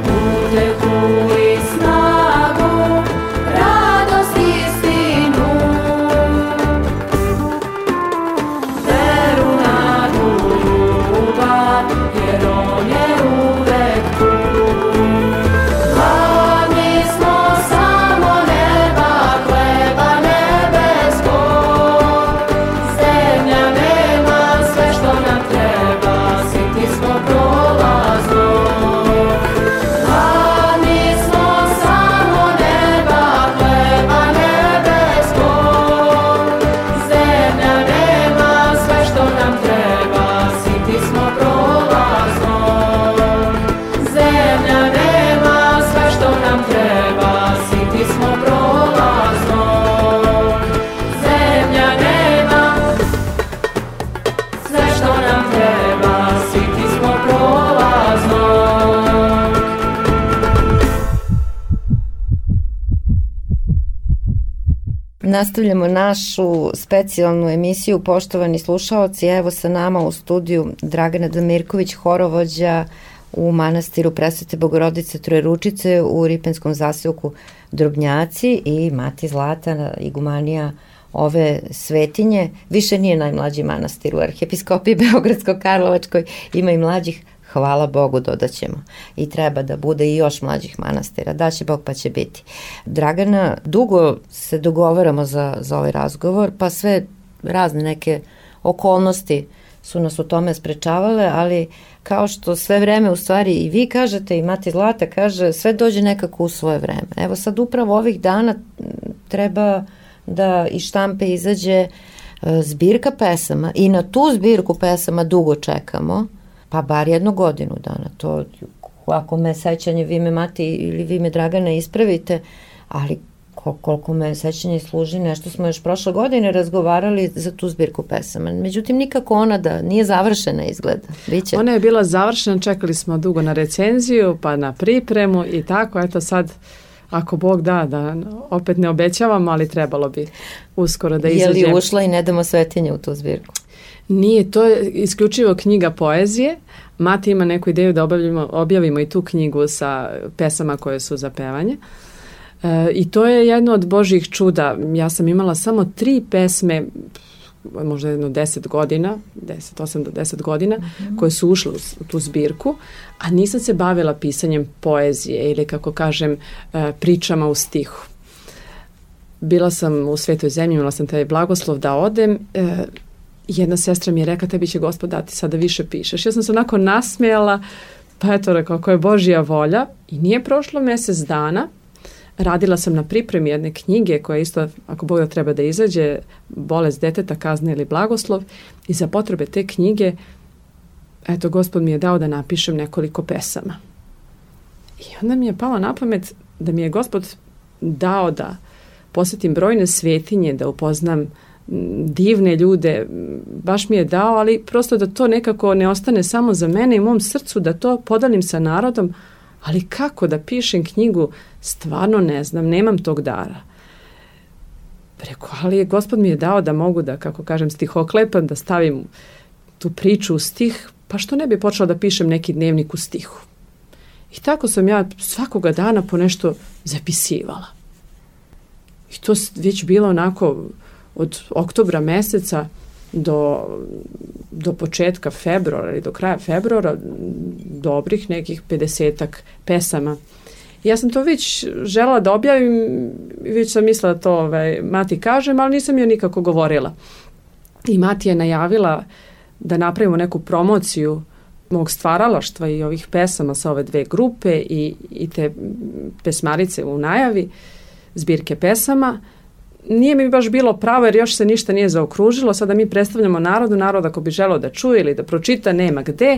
Utehu i snagu, radost i istinu, veru, nadu, ljubav, jer On je uvek tu. Gladni smo samo neba, hleba nebeskog, zemlja nema sve što nam treba, siti smo prolaznog. Gladni smo samo neba, hleba nebeskog, zemlja nema sve što nam treba, siti smo prolaznog. Zemlja nema sve što nam treba, siti smo prolaznog. Zemlja nema sve što nam treba, siti smo prolaznog. Nastavljamo našu specijalnu emisiju, poštovani slušaoci. Evo sa nama u studiju Dragana Damirković, horovođa u manastiru Presvete Bogorodice Trojeručice u Ripenskom zaseoku Drobnjaci, i mati Zlata, igumanija ove svetinje. Više nije najmlađi manastir u arhijepiskopiji Beogradsko-Karlovačkoj, ima i mlađih, hvala Bogu, dodaćemo. I treba da bude i još mlađih manastira. Daće Bog pa će biti. Dragana, dugo se dogovaramo za ovaj razgovor, pa sve razne neke okolnosti su nas u tome sprečavale, ali kao što sve vreme u stvari i vi kažete i mati Zlata kaže, sve dođe nekako u svoje vreme. Evo sad upravo ovih dana treba da iz štampe izađe zbirka pesama i na tu zbirku pesama dugo čekamo, pa bar 1 godinu dana. To, ako me sećanje, vi me mati ili vi me Dragana ispravite, ali koliko me sećanje služi, nešto smo još prošle godine razgovarali za tu zbirku pesama. Međutim, nikako ona da nije završena izgleda. Biće. Ona je bila završena, čekali smo dugo na recenziju, pa na pripremu i tako, eto sad, ako Bog da opet ne obećavam, ali trebalo bi uskoro da izađe. Je li ušla i Ne damo svetinje u tu zbirku? Nije, to je isključivo knjiga poezije. Mati ima neku ideju da objavimo i tu knjigu sa pesama koje su za pevanje. I to je jedno od Božjih čuda. Ja sam imala samo 3 pesme, možda jedno 10 godina, 8 do 10 godina, koje su ušle u tu zbirku, a nisam se bavila pisanjem poezije ili, kako kažem, pričama u stihu. Bila sam u Svetoj zemlji, imala sam taj blagoslov da odem. Jedna sestra mi je rekla, tebi će Gospod dati sada više pišeš. Ja sam se onako nasmijala, pa eto, rekao, ako je Božja volja. I nije prošlo mjesec dana. Radila sam na pripremi jedne knjige koja isto, ako Bog da treba da izađe, Bolest deteta, kazna ili blagoslov. I za potrebe te knjige, eto, Gospod mi je dao da napišem nekoliko pesama. I onda mi je palo na pamet da mi je Gospod dao da posjetim brojne svetinje, da upoznam divne ljude, baš mi je dao, ali prosto da to nekako ne ostane samo za mene i mom srcu, da to podelim sa narodom, ali kako da pišem knjigu, stvarno ne znam, nemam tog dara. Preko, ali Gospod mi je dao da mogu da, kako kažem, stihoklepam, da stavim tu priču u stih, pa što ne bi počela da pišem neki dnevnik u stihu. I tako sam ja svakoga dana po nešto zapisivala. I to već bilo onako od oktobra meseca do početka februara ili do kraja februara dobrih nekih 50-ak pesama. I ja sam to već željela da objavim, već sam mislila da to mati kažem, ali nisam joj nikako govorila. I mati je najavila da napravimo neku promociju mog stvaralaštva i ovih pesama sa ove 2 grupe i te pesmarice u najavi, zbirke pesama. Nije mi baš bilo pravo jer još se ništa nije zaokružilo. Sada mi predstavljamo narod ako bi želeo da čuje ili da pročita, nema gde.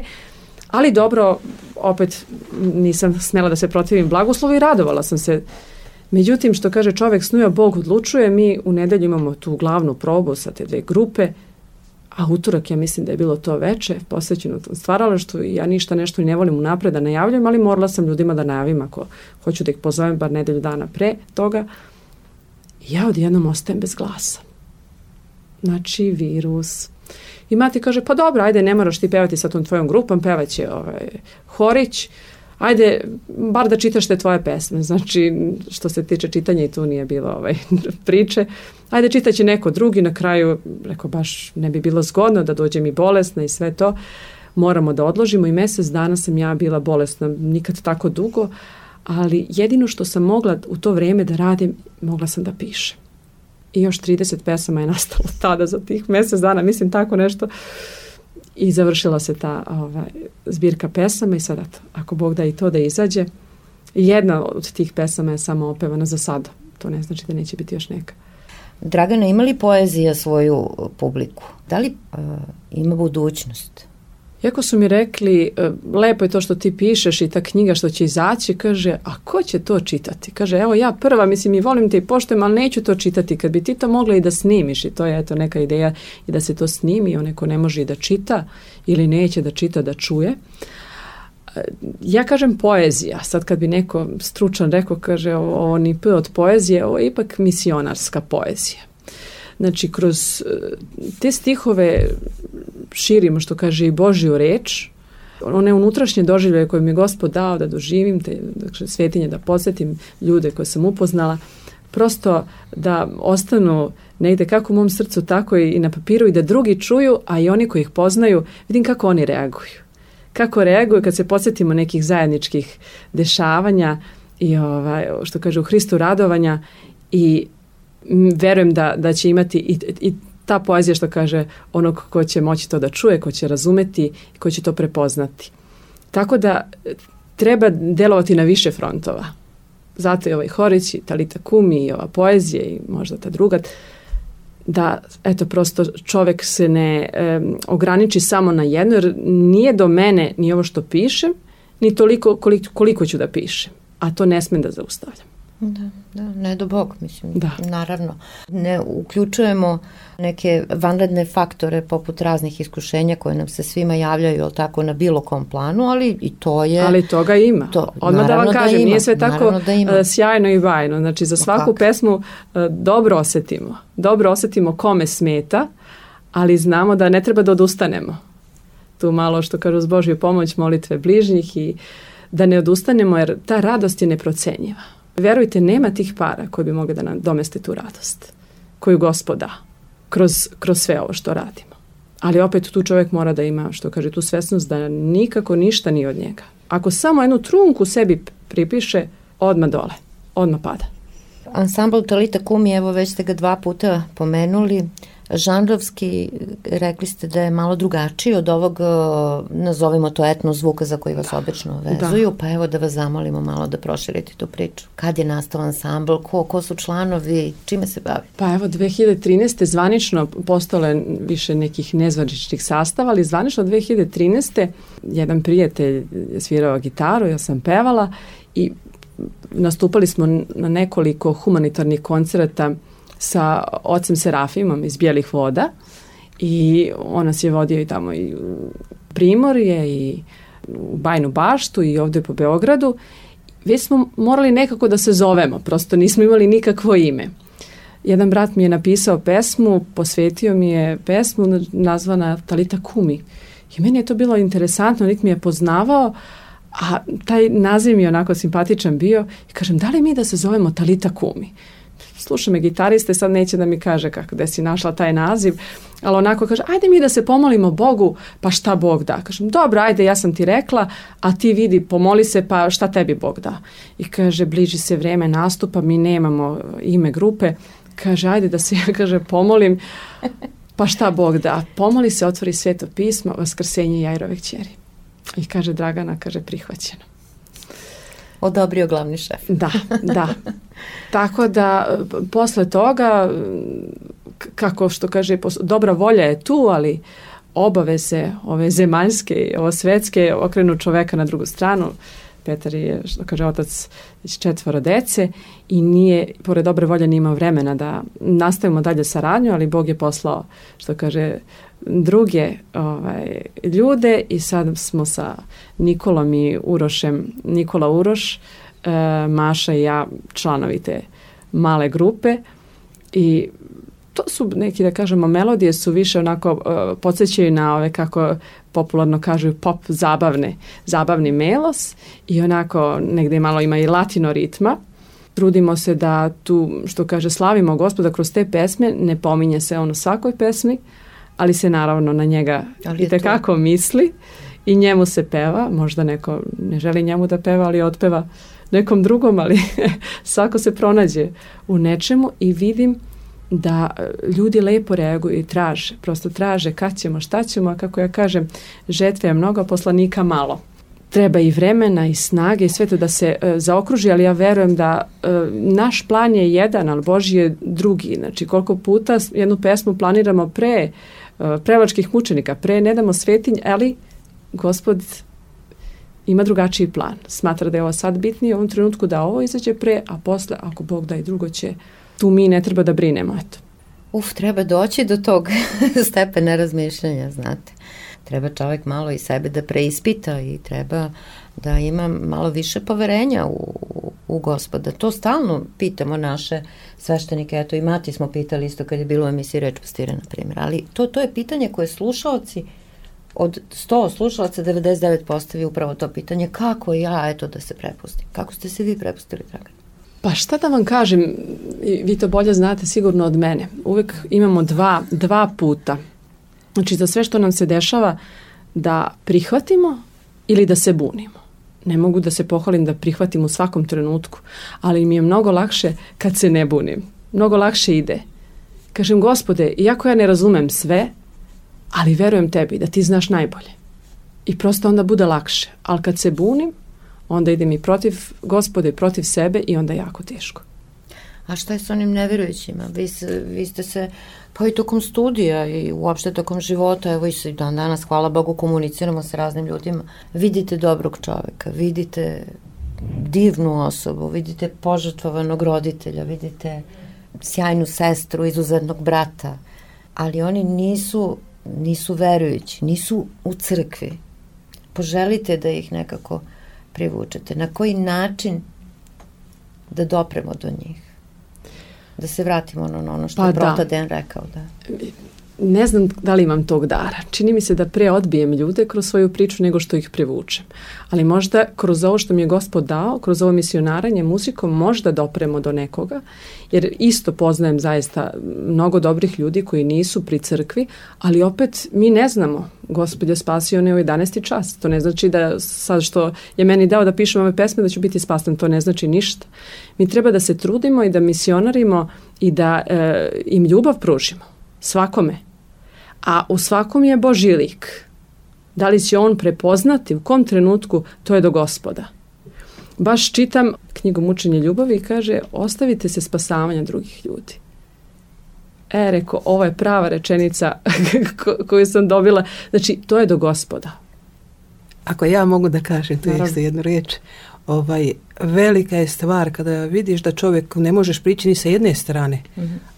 Ali dobro, opet nisam smjela da se protivim blagoslovu i radovala sam se. Međutim, što kaže čovjek snuje, Bog odlučuje. Mi u nedelju imamo tu glavnu probu sa te 2 grupe, a utorak ja mislim da je bilo to veče posvećeno tom stvaralaštvu i ja ništa nešto i ne volim unapred da najavljam, ali morala sam ljudima da najavim ako hoću da ih pozovem bar nedelju dana pre toga. Ja odjednom ostajem bez glasa. Znači, virus. I mati kaže, pa dobro, ajde, ne moraš ti pevati sa tom tvojom grupom, pevaće Horić, ajde, bar da čitaš te tvoje pesme. Znači, što se tiče čitanja i tu nije bilo priče. Ajde, čitaće neko drugi, na kraju, rekao, baš ne bi bilo zgodno da dođem i bolesna i sve to. Moramo da odložimo i mjesec dana sam ja bila bolesna, nikad tako dugo, ali jedino što sam mogla u to vrijeme da radim, mogla sam da pišem. I još 30 pesama je nastalo tada za tih mjesec dana, mislim tako nešto. I završila se ta zbirka pesama i sad, ako Bog da i to da izađe, jedna od tih pesama je samo opevana za sada. To ne znači da neće biti još neka. Dragana, ima li poezija svoju publiku? Da li ima budućnost? Iako su mi rekli, lepo je to što ti pišeš i ta knjiga što će izaći, kaže, a ko će to čitati? Kaže, evo ja prva, mislim, i volim te i poštujem, ali neću to čitati. Kad bi ti to mogla i da snimiš, i to je eto neka ideja i da se to snimi, onaj ko ne može i da čita ili neće da čita, da čuje. Ja kažem poezija, sad kad bi neko stručan rekao, kaže, ovo ni p od poezije, ovo je ipak misionarska poezija. Znači, kroz te stihove širimo, što kaže, i Božju reč, one unutrašnje doživljaje koje mi je Gospod dao da doživim, te svetinje, da posjetim ljude koje sam upoznala, prosto da ostanu negde kako u mom srcu, tako i na papiru i da drugi čuju, a i oni koji ih poznaju, vidim kako oni reaguju. Kako reaguju kad se podsjetimo nekih zajedničkih dešavanja i što kaže u Hristu radovanja i verujem da će imati i ta poezija, što kaže, onog ko će moći to da čuje, ko će razumeti i ko će to prepoznati. Tako da treba delovati na više frontova. Zato je Horić i Talita Kumi i ova poezija i možda ta druga, da eto prosto čovjek se ne ograniči samo na jedno, jer nije do mene ni ovo što pišem, ni toliko koliko ću da pišem, a to ne smem da zaustavljam. Da, ne do Bog, mislim, da. Naravno. Ne uključujemo neke vanredne faktore poput raznih iskušenja koje nam se svima javljaju, jel tako, na bilo kom planu, ali i to je... Ali toga ima. Odmah da vam kažem, nije sve tako sjajno i bajno. Znači, za svaku pesmu dobro osjetimo kome smeta, ali znamo da ne treba da odustanemo. Tu malo, što kažu, uz Božju pomoć, molitve bližnjih i da ne odustanemo, jer ta radost je neprocenjiva. Verujte, nema tih para koji bi mogli da nam domeste tu radost koju Gospod da kroz sve ovo što radimo. Ali opet tu čovjek mora da ima, što kaže, tu svesnost da nikako ništa nije od njega. Ako samo jednu trunku sebi pripiše, odmah dole, odmah pada. Ansambl Talita Kumi, evo već ste ga 2 puta pomenuli, žanrovski rekli ste da je malo drugačiji od ovog, nazovimo to etno zvuka za koji vas obično vezuju, pa evo da vas zamolimo malo da proširite tu priču. Kad je nastao ansambl, ko su članovi, čime se bavi? Pa evo 2013. zvanično postalo je više nekih nezvaničnih sastava, ali zvanično 2013. jedan prijatelj je svirao gitaru, ja sam pevala i nastupali smo na nekoliko humanitarnih koncerata sa ocem Serafimom iz Bijelih voda i on nas je vodio i tamo i u Primorje i u Bajnu Baštu i ovdje po Beogradu. Već smo morali nekako da se zovemo, prosto nismo imali nikakvo ime. Jedan brat mi je napisao pesmu, posvetio mi je pesmu nazvana Talita Kumi i meni je to bilo interesantno, niti mi je poznavao, a taj naziv mi je onako simpatičan bio i kažem, da li mi da se zovemo Talita Kumi? Sluša me gitariste, sad neće da mi kaže kako da si našla taj naziv, ali onako kaže, ajde mi da se pomolimo Bogu, pa šta Bog da? Kažem, dobro, ajde, ja sam ti rekla, a ti vidi, pomoli se, pa šta tebi Bog da? I kaže, bliži se vreme nastupa, mi nemamo ime grupe, kaže, ajde da se ja, kaže, pomolim, pa šta Bog da? Pomoli se, otvori Sveto pismo, Vaskrsenje Jairove kćeri. I kaže, Dragana, kaže, prihvaćeno. Odobrio glavni šef. Da. Tako da, posle toga, kako što kaže, dobra volja je tu, ali obaveze, ove zemaljske i ove svetske, okrenu čoveka na drugu stranu. Petar je, što kaže, otac već 4 dece i nije, pored dobre volje, nije imao vremena da nastavimo dalje saradnju, ali Bog je poslao, što kaže, druge ljude i sad smo sa Nikolom i Urošem, Nikola Uroš, Maša i ja, članovi te male grupe i to su neki, da kažemo, melodije su više onako podsjećaju na ove, kako popularno kažu, pop zabavni melos i onako negdje malo ima i latino ritma. Trudimo se da tu, što kaže, slavimo Gospoda kroz te pesme, ne pominje se on u svakoj pesmi, ali se naravno na njega itekako misli i njemu se peva, možda neko ne želi njemu da peva, ali otpeva nekom drugom, ali svako se pronađe u nečemu i vidim da ljudi lepo reaguju i prosto traže kad ćemo, šta ćemo, a kako ja kažem, žetve je mnogo, poslanika malo. Treba i vremena i snage i sve to da se zaokruži, ali ja verujem da naš plan je jedan, ali Božji je drugi. Znači, koliko puta jednu pesmu planiramo pre prevačkih mučenika, pre ne damo svetinj, ali Gospod ima drugačiji plan. Smatra da je ovo sad bitnije u ovom trenutku da ovo izađe pre, a posle, ako Bog da i drugo će, tu mi ne treba da brinemo. Eto. Treba doći do tog stepena razmišljanja, znate. Treba čovjek malo i sebe da preispita i treba da ima malo više poverenja u Gospoda. To stalno pitamo naše sveštenike, eto i Mati smo pitali isto kad je bilo u emisiji Reč pastira, na primjer, ali to je pitanje koje slušaoci, od 100 slušalaca 99 postavi upravo to pitanje, kako ja, eto, da se prepustim. Kako ste se vi prepustili, Dragan? Pa šta da vam kažem, vi to bolje znate sigurno od mene. Uvijek imamo dva puta. Znači, za sve što nam se dešava da prihvatimo ili da se bunimo. Ne mogu da se pohvalim da prihvatim u svakom trenutku, ali mi je mnogo lakše kad se ne bunim. Mnogo lakše ide. Kažem, Gospode, iako ja ne razumem sve, ali verujem tebi da ti znaš najbolje. I prosto onda bude lakše. Ali kad se bunim, onda idem i protiv Gospode, protiv sebe i onda jako teško. A šta je s onim nevjerujućima? Vi ste se, pa i tokom studija i uopšte tokom života, evo i se danas, hvala Bogu, komuniciramo sa raznim ljudima. Vidite dobrog čovjeka, vidite divnu osobu, vidite požrtvovanog roditelja, vidite sjajnu sestru, izuzetnog brata, ali oni nisu verujući, nisu u crkvi. Poželite da ih nekako privučete. Na koji način da dopremo do njih? Da se vratimo na ono što je Protaden rekao. Da. ne znam da li imam tog dara. Čini mi se da pre odbijem ljude kroz svoju priču nego što ih privučem. Ali možda kroz ovo što mi je Gospod dao, kroz ovo misionaranje muzikom, možda dopremo do nekoga, jer isto poznajem zaista mnogo dobrih ljudi koji nisu pri crkvi, ali opet mi ne znamo. Gospod je spasio ne u 11. čas. To ne znači da sad što je meni dao da pišem ove pesme da ću biti spasen. To ne znači ništa. Mi treba da se trudimo i da misionarimo i da im ljubav pružimo. Svakome. A u svakom je Božji lik. Da li će on prepoznati u kom trenutku, to je do Gospoda. Baš čitam knjigu Mučenje ljubavi i kaže ostavite se spasavanja drugih ljudi. Reko, ovo je prava rečenica koju sam dobila. Znači, to je do Gospoda. Ako ja mogu da kažem tu isto jednu riječ, velika je stvar kada vidiš da čovjek ne možeš prići ni sa jedne strane,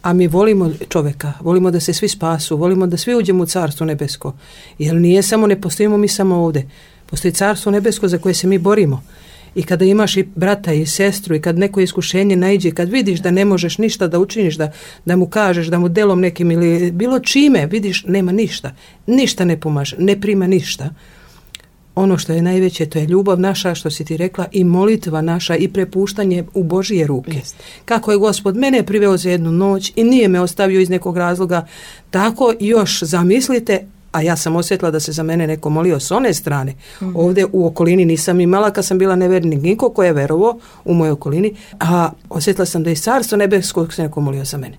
a mi volimo čovjeka, volimo da se svi spasu, volimo da svi uđemo u Carstvo nebesko, jer ne postojimo mi samo ovdje, postoji Carstvo nebesko za koje se mi borimo. I kada imaš i brata i sestru i kad neko iskušenje naiđe, kad vidiš da ne možeš ništa da učiniš, da mu kažeš, da mu delom nekim ili bilo čime, vidiš nema ništa ne pomaže, ne prima ništa. Ono što je najveće, to je ljubav naša, što si ti rekla, i molitva naša i prepuštanje u Božije ruke. Jest. Kako je Gospod mene priveo za jednu noć i nije me ostavio iz nekog razloga, tako još zamislite, a ja sam osjetila da se za mene neko molio s one strane. Ovdje u okolini nisam imala, kad sam bila nevernik, niko ko je verovao u mojoj okolini, a osjetila sam da je Carstvo nebeskog se neko molio za mene.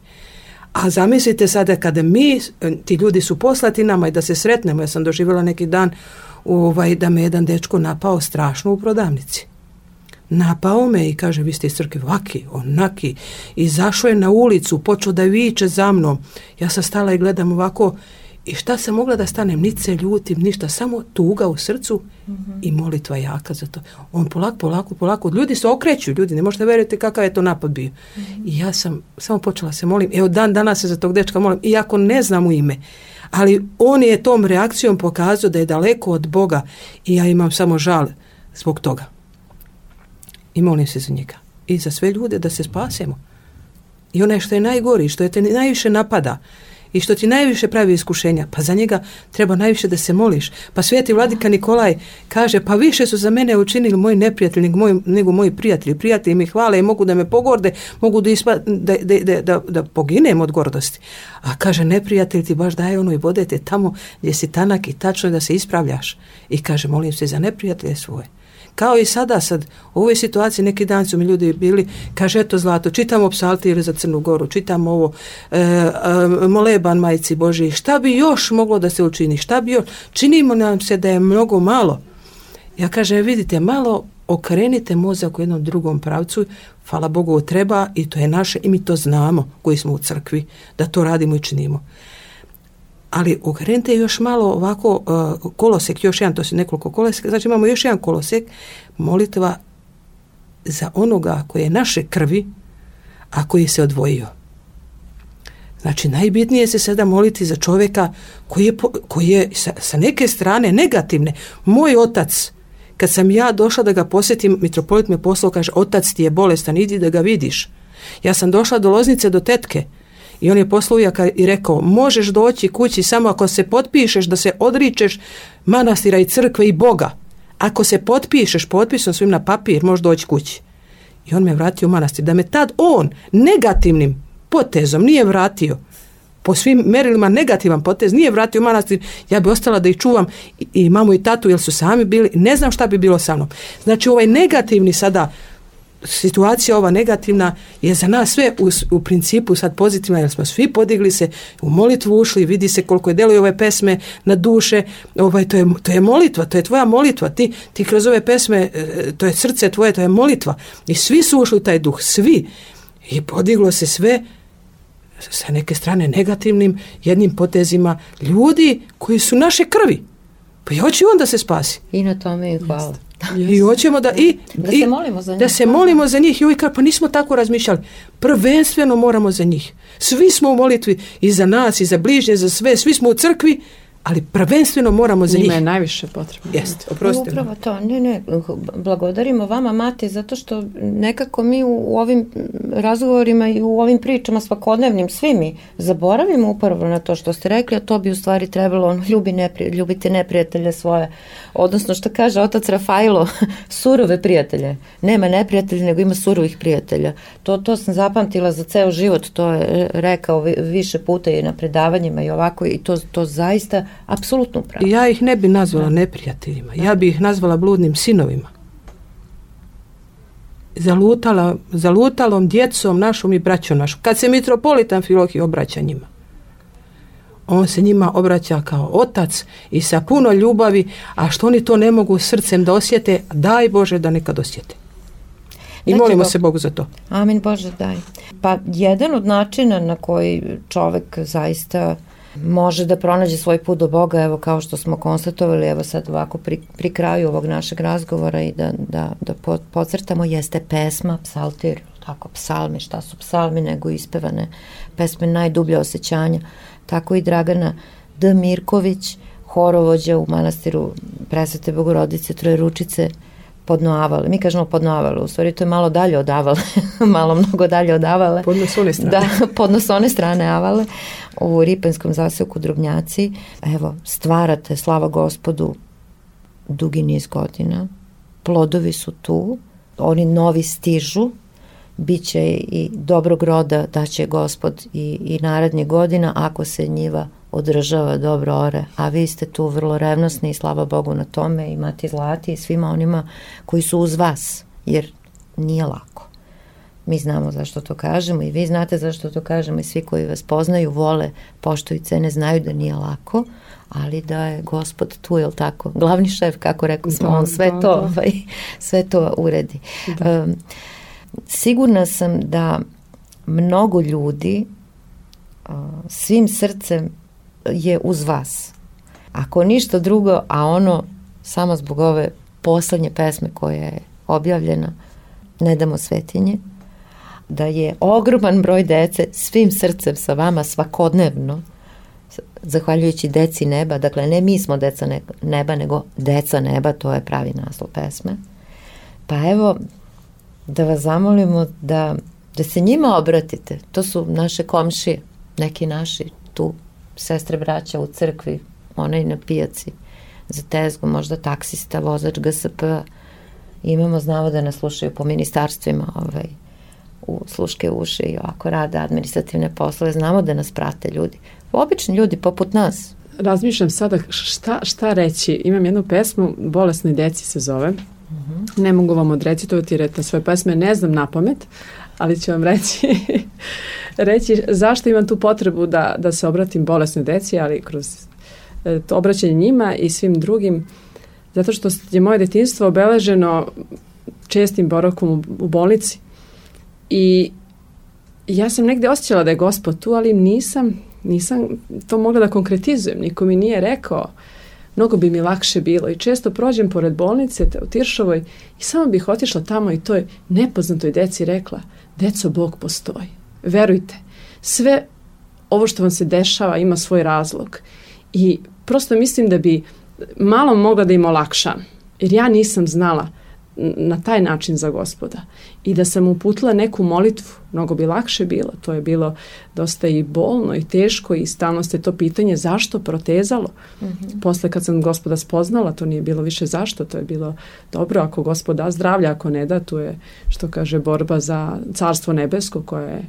A zamislite sada kada ti ljudi su poslati nama i da se sretnemo, ja sam doživjela neki dan da me jedan dečko napao strašno u prodavnici. Napao me i kaže vi ste iz crkve ovaki, onaki. Izašao je na ulicu, počeo da viče za mnom. Ja sam stala i gledam ovako i šta sam mogla da stanem, niti se ljutim, ništa, samo tuga u srcu i molitva jaka za to. On polako, ljudi se okreću, ljudi, ne možete vjerujete kakav je to napad bio. I ja sam samo počela se molim, evo dan danas se za tog dečka molim, iako ne znam u ime. Ali on je tom reakcijom pokazao da je daleko od Boga i ja imam samo žal zbog toga. I molim se za njega. I za sve ljude da se spasemo. I onaj što je najgori, što je te najviše napada i što ti najviše pravi iskušenja, pa za njega treba najviše da se moliš. Pa sveti vladika Nikolaj kaže, pa više su za mene učinili moji neprijatelji nego moji prijatelji. Prijatelji mi hvale i mogu da me pogorde, mogu da poginem od gordosti. A kaže, neprijatelj ti baš daje ono i vode te tamo gdje si tanak i tačno da se ispravljaš. I kaže, molim se za neprijatelje svoje. Kao i sad u ovoj situaciji neki dan su mi ljudi bili, kaže eto Zlato, čitamo psaltire za Crnu Goru, čitamo ovo, moleban Majci Božiji, šta bi još moglo da se učini, šta bi još, činimo nam se da je mnogo malo. Ja kažem, vidite, malo okrenite mozak u jednom drugom pravcu, hvala Bogu treba i to je naše i mi to znamo koji smo u crkvi, da to radimo i činimo. Ali okrenite još malo ovako kolosek, još jedan, to su nekoliko koloseka, znači imamo još jedan kolosek, molitva za onoga koji je naše krvi, a koji se odvojio. Znači najbitnije se sada moliti za čovjeka koji je sa neke strane negativne. Moj otac, kad sam ja došla da ga posjetim, mitropolit me poslao, kaže, otac ti je bolestan, idi da ga vidiš. Ja sam došla do Loznice, do tetke, i on je poslao ujaka i rekao, možeš doći kući samo ako se potpišeš da se odričeš manastira i crkve i Boga. Ako se potpišeš potpisom svim na papir, možeš doći kući. I on me vratio u manastir. Da me tad on negativnim potezom nije vratio, po svim merilima negativan potez, nije vratio u manastir, ja bi ostala da ih čuvam i mamu i tatu, jer su sami bili, ne znam šta bi bilo sa mnom. Znači ovaj negativni sada, situacija ova negativna je za nas sve u principu sad pozitivna, jer smo svi podigli se, u molitvu ušli, vidi se koliko je deluju ove pesme na duše, to je molitva, to je tvoja molitva, ti kroz ove pesme, to je srce tvoje, to je molitva i svi su ušli u taj duh, svi, i podiglo se sve sa neke strane negativnim jednim potezima ljudi koji su naše krvi, pa i hoće on da se spasi. I na tome i hvala. I hoćemo da se molimo za njih. Da se molimo za njih. I uvijek, pa nismo tako razmišljali. Prvenstveno moramo za njih. Svi smo u molitvi i za nas i za bližnje, za sve. Svi smo u crkvi, ali prvenstveno moramo za njih. Njima je najviše potrebno. Jeste, oprostite. Upravo to, ne, blagodarimo vama, Mate, zato što nekako mi u ovim razgovorima i u ovim pričama svakodnevnim, svi mi zaboravimo upravo na to što ste rekli, a to bi u stvari trebalo, ljubite neprijatelje svoje, odnosno što kaže otac Rafailo, surove prijatelje. Nema neprijatelja, nego ima surovih prijatelja. To sam zapamtila za ceo život, to je rekao više puta i na predavanjima i ovako, i to zaista apsolutno pravo. Ja ih ne bi nazvala neprijateljima, ja bi ih nazvala bludnim sinovima. Zalutalom djecom našom i braćom našom. Kad se mitropolit Amfilohije obraća njima, on se njima obraća kao otac i sa puno ljubavi, a što oni to ne mogu srcem da osjete, daj Bože da nekad osjete. I molimo se Bogu za to. Amin, Bože, daj. Pa jedan od načina na koji čovek zaista može da pronađe svoj put do Boga, evo kao što smo konstatovali, evo sad ovako pri kraju ovog našeg razgovora i da podcrtamo, jeste pesma, psaltir, tako psalmi, šta su psalmi nego ispevane pesme, najdublja osjećanja. Tako i Dragana D. Mirković, horovođa u manastiru Presvete Bogorodice Trojeručice, Podnoavale. Mi kažemo Podnoavale, u stvari to je malo dalje od Avale, mnogo dalje od Avale. Podnosone strane. Da, podnosone strane Avale, u Ripenskom zaseoku Drobnjaci. Evo, stvarate, slava Gospodu, dugi niz godina. Plodovi su tu, oni novi stižu, biće i dobrog roda daće Gospod i narednih godina ako se njiva održava dobro ore, a vi ste tu vrlo revnosni i slava Bogu na tome, i Mati Zlati i svima onima koji su uz vas, jer nije lako. Mi znamo zašto to kažemo i vi znate zašto to kažemo i svi koji vas poznaju, vole, poštuju i cene, znaju da nije lako, ali da je Gospod tu, jel tako? Glavni šef, kako rekao smo, on sve to uredi. Sigurna sam da mnogo ljudi svim srcem je uz vas. Ako ništa drugo, a ono samo zbog ove poslednje pesme koja je objavljena, Ne damo svetinje, da je ogroman broj dece svim srcem sa vama svakodnevno, zahvaljujući deci neba, dakle ne mi smo deca neba, nego deca neba, to je pravi naslov pesme. Pa evo, da vas zamolimo da se njima obratite. To su naše komšije, neki naši tu, sestre, braća u crkvi, onaj na pijaci za tezgu, možda taksista, vozač GSP. Imamo, znamo da nas slušaju po ministarstvima, u sluške uši i ovako rade administrativne poslove, znamo da nas prate ljudi. Obični ljudi poput nas. Razmišljam sada šta reći. Imam jednu pesmu, Bolesnoj deci se zove. Ne mogu vam odrecitovati jer na svoje pesme ne znam na pamet, ali ću vam reći zašto imam tu potrebu da se obratim bolesnoj deci, ali kroz to obraćanje njima i svim drugim, zato što je moje detinjstvo obeleženo čestim boravkom u bolnici i ja sam negde osjećala da je Gospod tu, ali nisam to mogla da konkretizujem, niko mi nije rekao. Mnogo bi mi lakše bilo i često prođem pored bolnice u Tiršovoj i samo bih otišla tamo i toj nepoznatoj deci rekla: deco, Bog postoji. Verujte, sve ovo što vam se dešava ima svoj razlog i prosto mislim da bi malo mogla da im olakšam, jer ja nisam znala na taj način za Gospoda i da sam uputila neku molitvu, mnogo bi lakše bilo. To je bilo dosta i bolno i teško i stalno ste to pitanje zašto protezalo. Posle kad sam Gospoda spoznala, to nije bilo više zašto, to je bilo dobro, ako Gospod da zdravlja, ako ne da, tu je, što kaže, borba za carstvo nebesko koje je,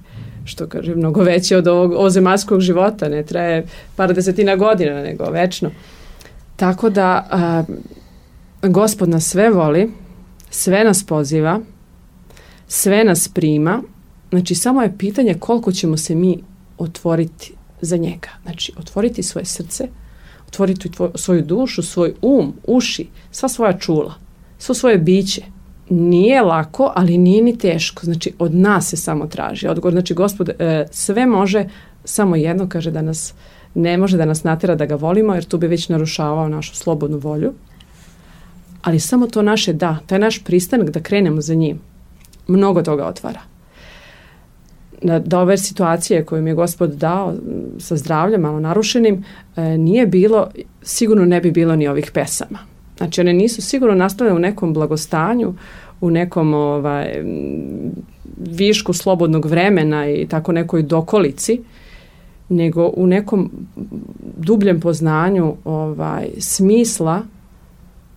što kaže, mnogo veće od ovog zemaljskog života, ne traje par desetina godina, nego večno. Tako da Gospod nas sve voli, sve nas poziva, sve nas prima, znači samo je pitanje koliko ćemo se mi otvoriti za njega. Znači otvoriti svoje srce, otvoriti svoju dušu, svoj uši, sva svoja čula, svo svoje biće. Nije lako, ali nije ni teško. Znači od nas se samo traži odgovor. Znači Gospod sve može, samo jedno kaže da nas ne može da nas natera da ga volimo, jer tu bi već narušavao našu slobodnu volju. Ali samo to naše taj naš pristanak da krenemo za njim, mnogo toga otvara. da ove situacije koje mi je Gospod dao sa zdravljem malo narušenim, nije bilo, sigurno ne bi bilo ni ovih pesama. Znači one nisu sigurno nastale u nekom blagostanju, u nekom višku slobodnog vremena i tako nekoj dokolici, nego u nekom dubljem poznanju smisla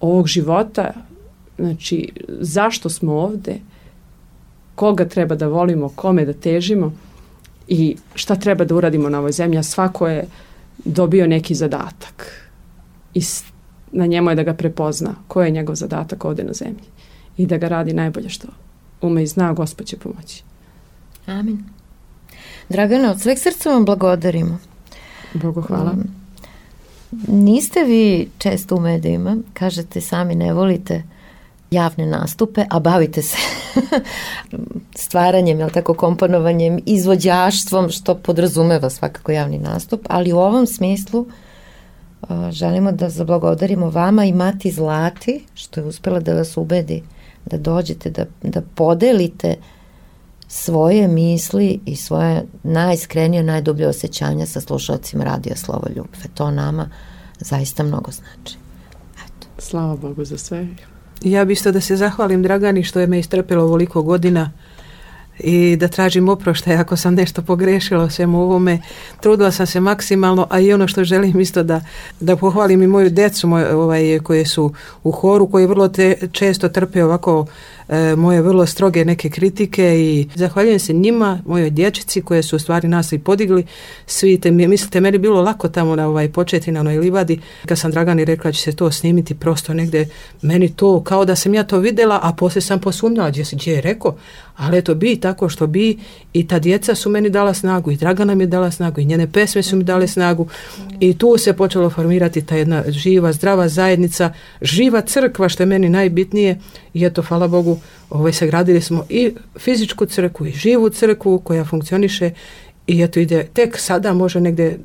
ovog života, znači zašto smo ovde, koga treba da volimo, kome da težimo i šta treba da uradimo na ovoj zemlji, a svako je dobio neki zadatak i na njemu je da ga prepozna koji je njegov zadatak ovde na zemlji i da ga radi najbolje što ume i zna, Gospod će pomoći. Amin. Dragana, od sveg srca vam blagodarimo. Bogu hvala. Niste vi često u medijima, kažete sami ne volite javne nastupe, a bavite se stvaranjem, tako, komponovanjem, izvođaštvom, što podrazumeva svakako javni nastup, ali u ovom smislu želimo da zablagodarimo vama i Mati Zlati, što je uspela da vas ubedi da dođete, da podelite svoje misli i svoje najiskrenije, najdublje osjećanja sa slušalcima Radija Slovo Ljubve. To nama zaista mnogo znači. Eto. Slava Bogu za sve. Ja bi isto da se zahvalim Dragani što je me istrpilo ovoliko godina i da tražim oproštaj ako sam nešto pogrešila o svemu ovome. Trudila sam se maksimalno, a i ono što želim isto da pohvalim i moju decu koje su u horu, koji vrlo često trpe ovako moje vrlo stroge neke kritike i zahvaljujem se njima, mojoj dječici koje su u stvari nas i podigli. Svi mislite, meni bilo lako tamo na početi na onoj livadi, kad sam Dragani rekla će se to snimiti, prosto negde meni to kao da sam ja to videla, a poslije sam posumnjala gdje je rekao, ali eto bi tako što bi i ta djeca su meni dala snagu i Dragana mi je dala snagu i njene pesme su mi dale snagu i tu se počelo formirati ta jedna živa, zdrava zajednica, živa crkva što je meni najbitnije i eto, hvala Bogu, sagradili smo i fizičku crkvu i živu crkvu koja funkcioniše i eto ide, tek sada može negdje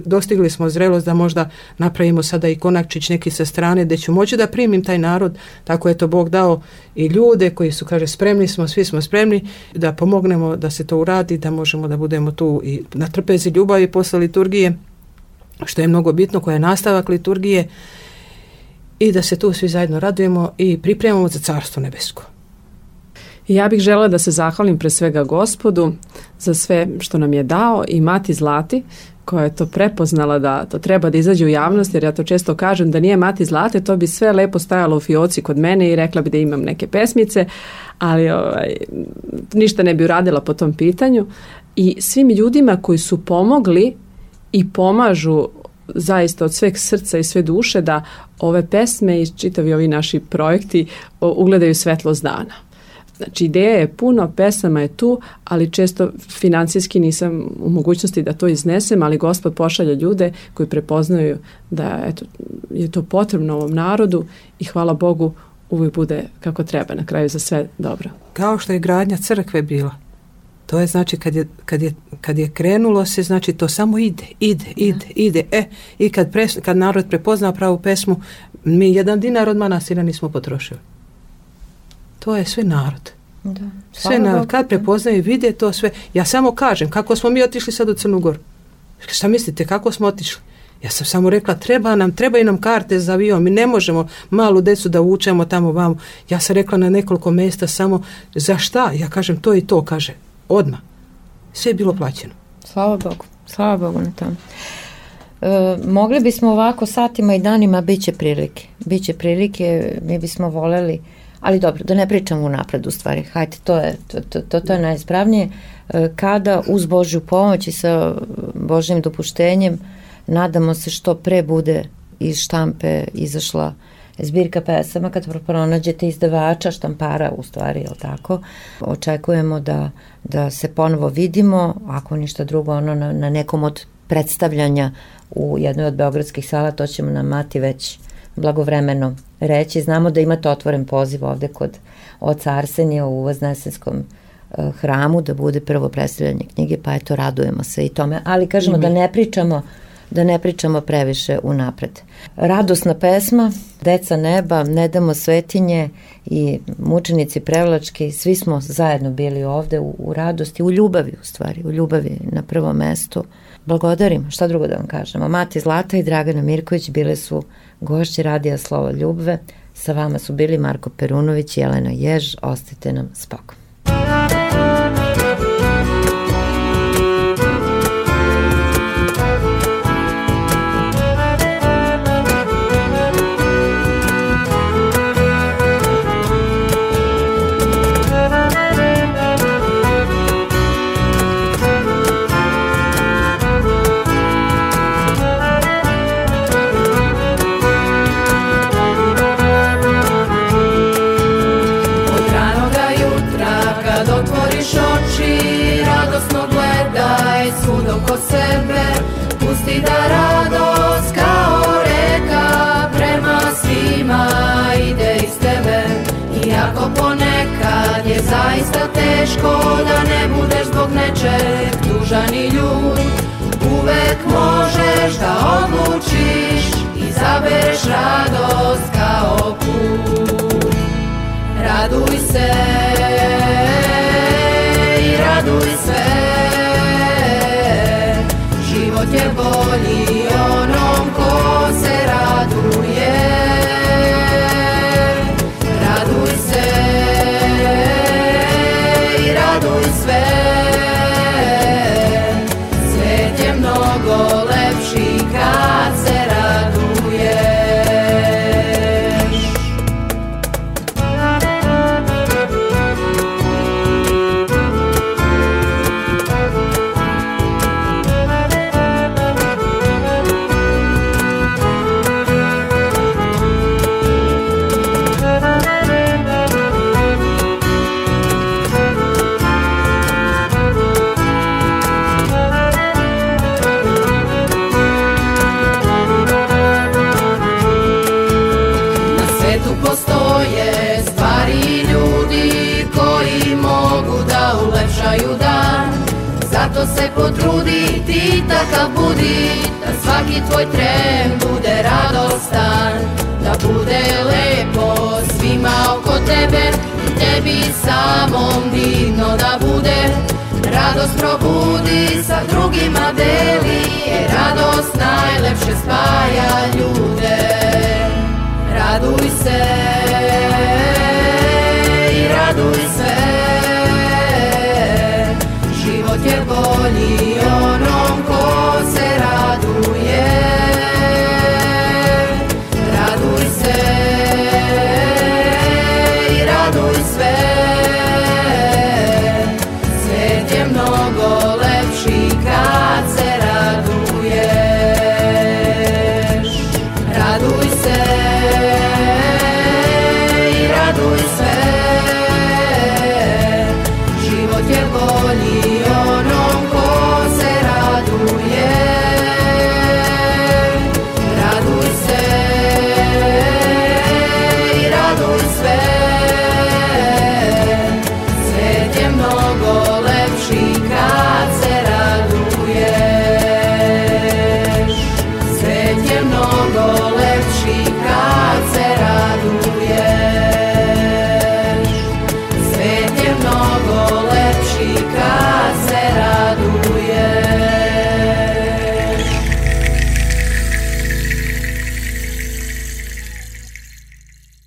dostigli smo zrelost da možda napravimo sada i konakčić neki sa strane gdje ću moći da primim taj narod, tako je to Bog dao i ljude koji su, kaže, spremni smo, svi smo spremni da pomognemo da se to uradi, da možemo da budemo tu i na trpezi ljubavi posle liturgije, što je mnogo bitno, koja je nastavak liturgije i da se tu svi zajedno radujemo i pripremamo za Carstvo nebesko. Ja bih želela da se zahvalim pre svega Gospodu za sve što nam je dao i Mati Zlati koja je to prepoznala da to treba da izađe u javnost, jer ja to često kažem da nije Mati Zlate, to bi sve lepo stajalo u fioci kod mene i rekla bi da imam neke pesmice, ali ništa ne bi uradila po tom pitanju. I svim ljudima koji su pomogli i pomažu zaista od sveg srca i sve duše da ove pesme i čitavi ovi naši projekti ugledaju svetlost dana. Znači, ideja je puno, pesama je tu, ali često financijski nisam u mogućnosti da to iznesem, ali Gospod pošalja ljude koji prepoznaju da je to potrebno ovom narodu i hvala Bogu uvijek bude kako treba, na kraju za sve dobro. Kao što je gradnja crkve bila. To je znači kad je krenulo se, znači to samo ide. I kad narod prepozna pravu pesmu, mi 1 dinar od manastira nismo potrošili. To je sve narod. Da. Sve narod. Kad prepoznaju i vide to sve. Ja samo kažem, kako smo mi otišli sad u Crnu Goru? Šta mislite, kako smo otišli? Ja sam samo rekla, trebaju nam karte za avion, mi ne možemo malu decu da vučemo tamo vamo. Ja sam rekla na nekoliko mjesta samo, za šta? Ja kažem, to i to, kaže, odmah. Sve je bilo plaćeno. Slava Bogu na tom. Mogli bismo ovako satima i danima, bit će prilike, mi bismo voljeli, ali dobro, da ne pričamo unapred u stvari, hajde, to je najispravnije, kada uz Božju pomoć i sa Božjim dopuštenjem nadamo se što pre bude iz štampe izašla zbirka pesama, kad pronađete izdavača, štampara u stvari, jel tako, očekujemo da se ponovo vidimo, ako ništa drugo, na nekom od predstavljanja u jednoj od beogradskih sala, to ćemo nam Mati već blagovremeno reći. Znamo da imate otvoren poziv ovde kod oca Arsenija u Voznesenskom hramu da bude prvo predstavljanje knjige, pa eto, radujemo se i tome, ali kažemo da ne pričamo da ne pričamo previše unapred. Radosna pesma, Deca neba, Ne damo svetinje i Mučenici Prevlački, svi smo zajedno bili ovde u radosti, u ljubavi u stvari, u ljubavi na prvom mestu. Blagodarim, šta drugo da vam kažemo. Mati Zlata i Dragana Mirković bile su gošće Radija Slovo Ljubve. Sa vama su bili Marko Perunović i Jelena Jež. Ostajte nam spokojno. Svud oko sebe, pusti da radost kao reka prema svima ide iz tebe. Iako ponekad je zaista teško da ne budeš zbog nečeg tužan i ljut, uvek možeš da odlučiš i izabereš radost kao put. Raduj se i raduj se, život je bolji onom ko se raduje. Raduj se i raduj sve, svet je mnogo lepši kad se raduješ. Postoje stvari i ljudi koji mogu da ulepšaju dan. Zato se potrudi, ti takav budi, da svaki tvoj tren bude radostan, da bude lepo svima oko tebe, tebi samom divno da bude. Radost probudi, sa drugima deli, jer radost najlepše spaja ljude. Raduj se i raduj se, život je bolji onom ko se raduje. Raduj se i raduj sve, svet je mnogo lepši kad se raduješ. Raduj se i raduj se, život je bolji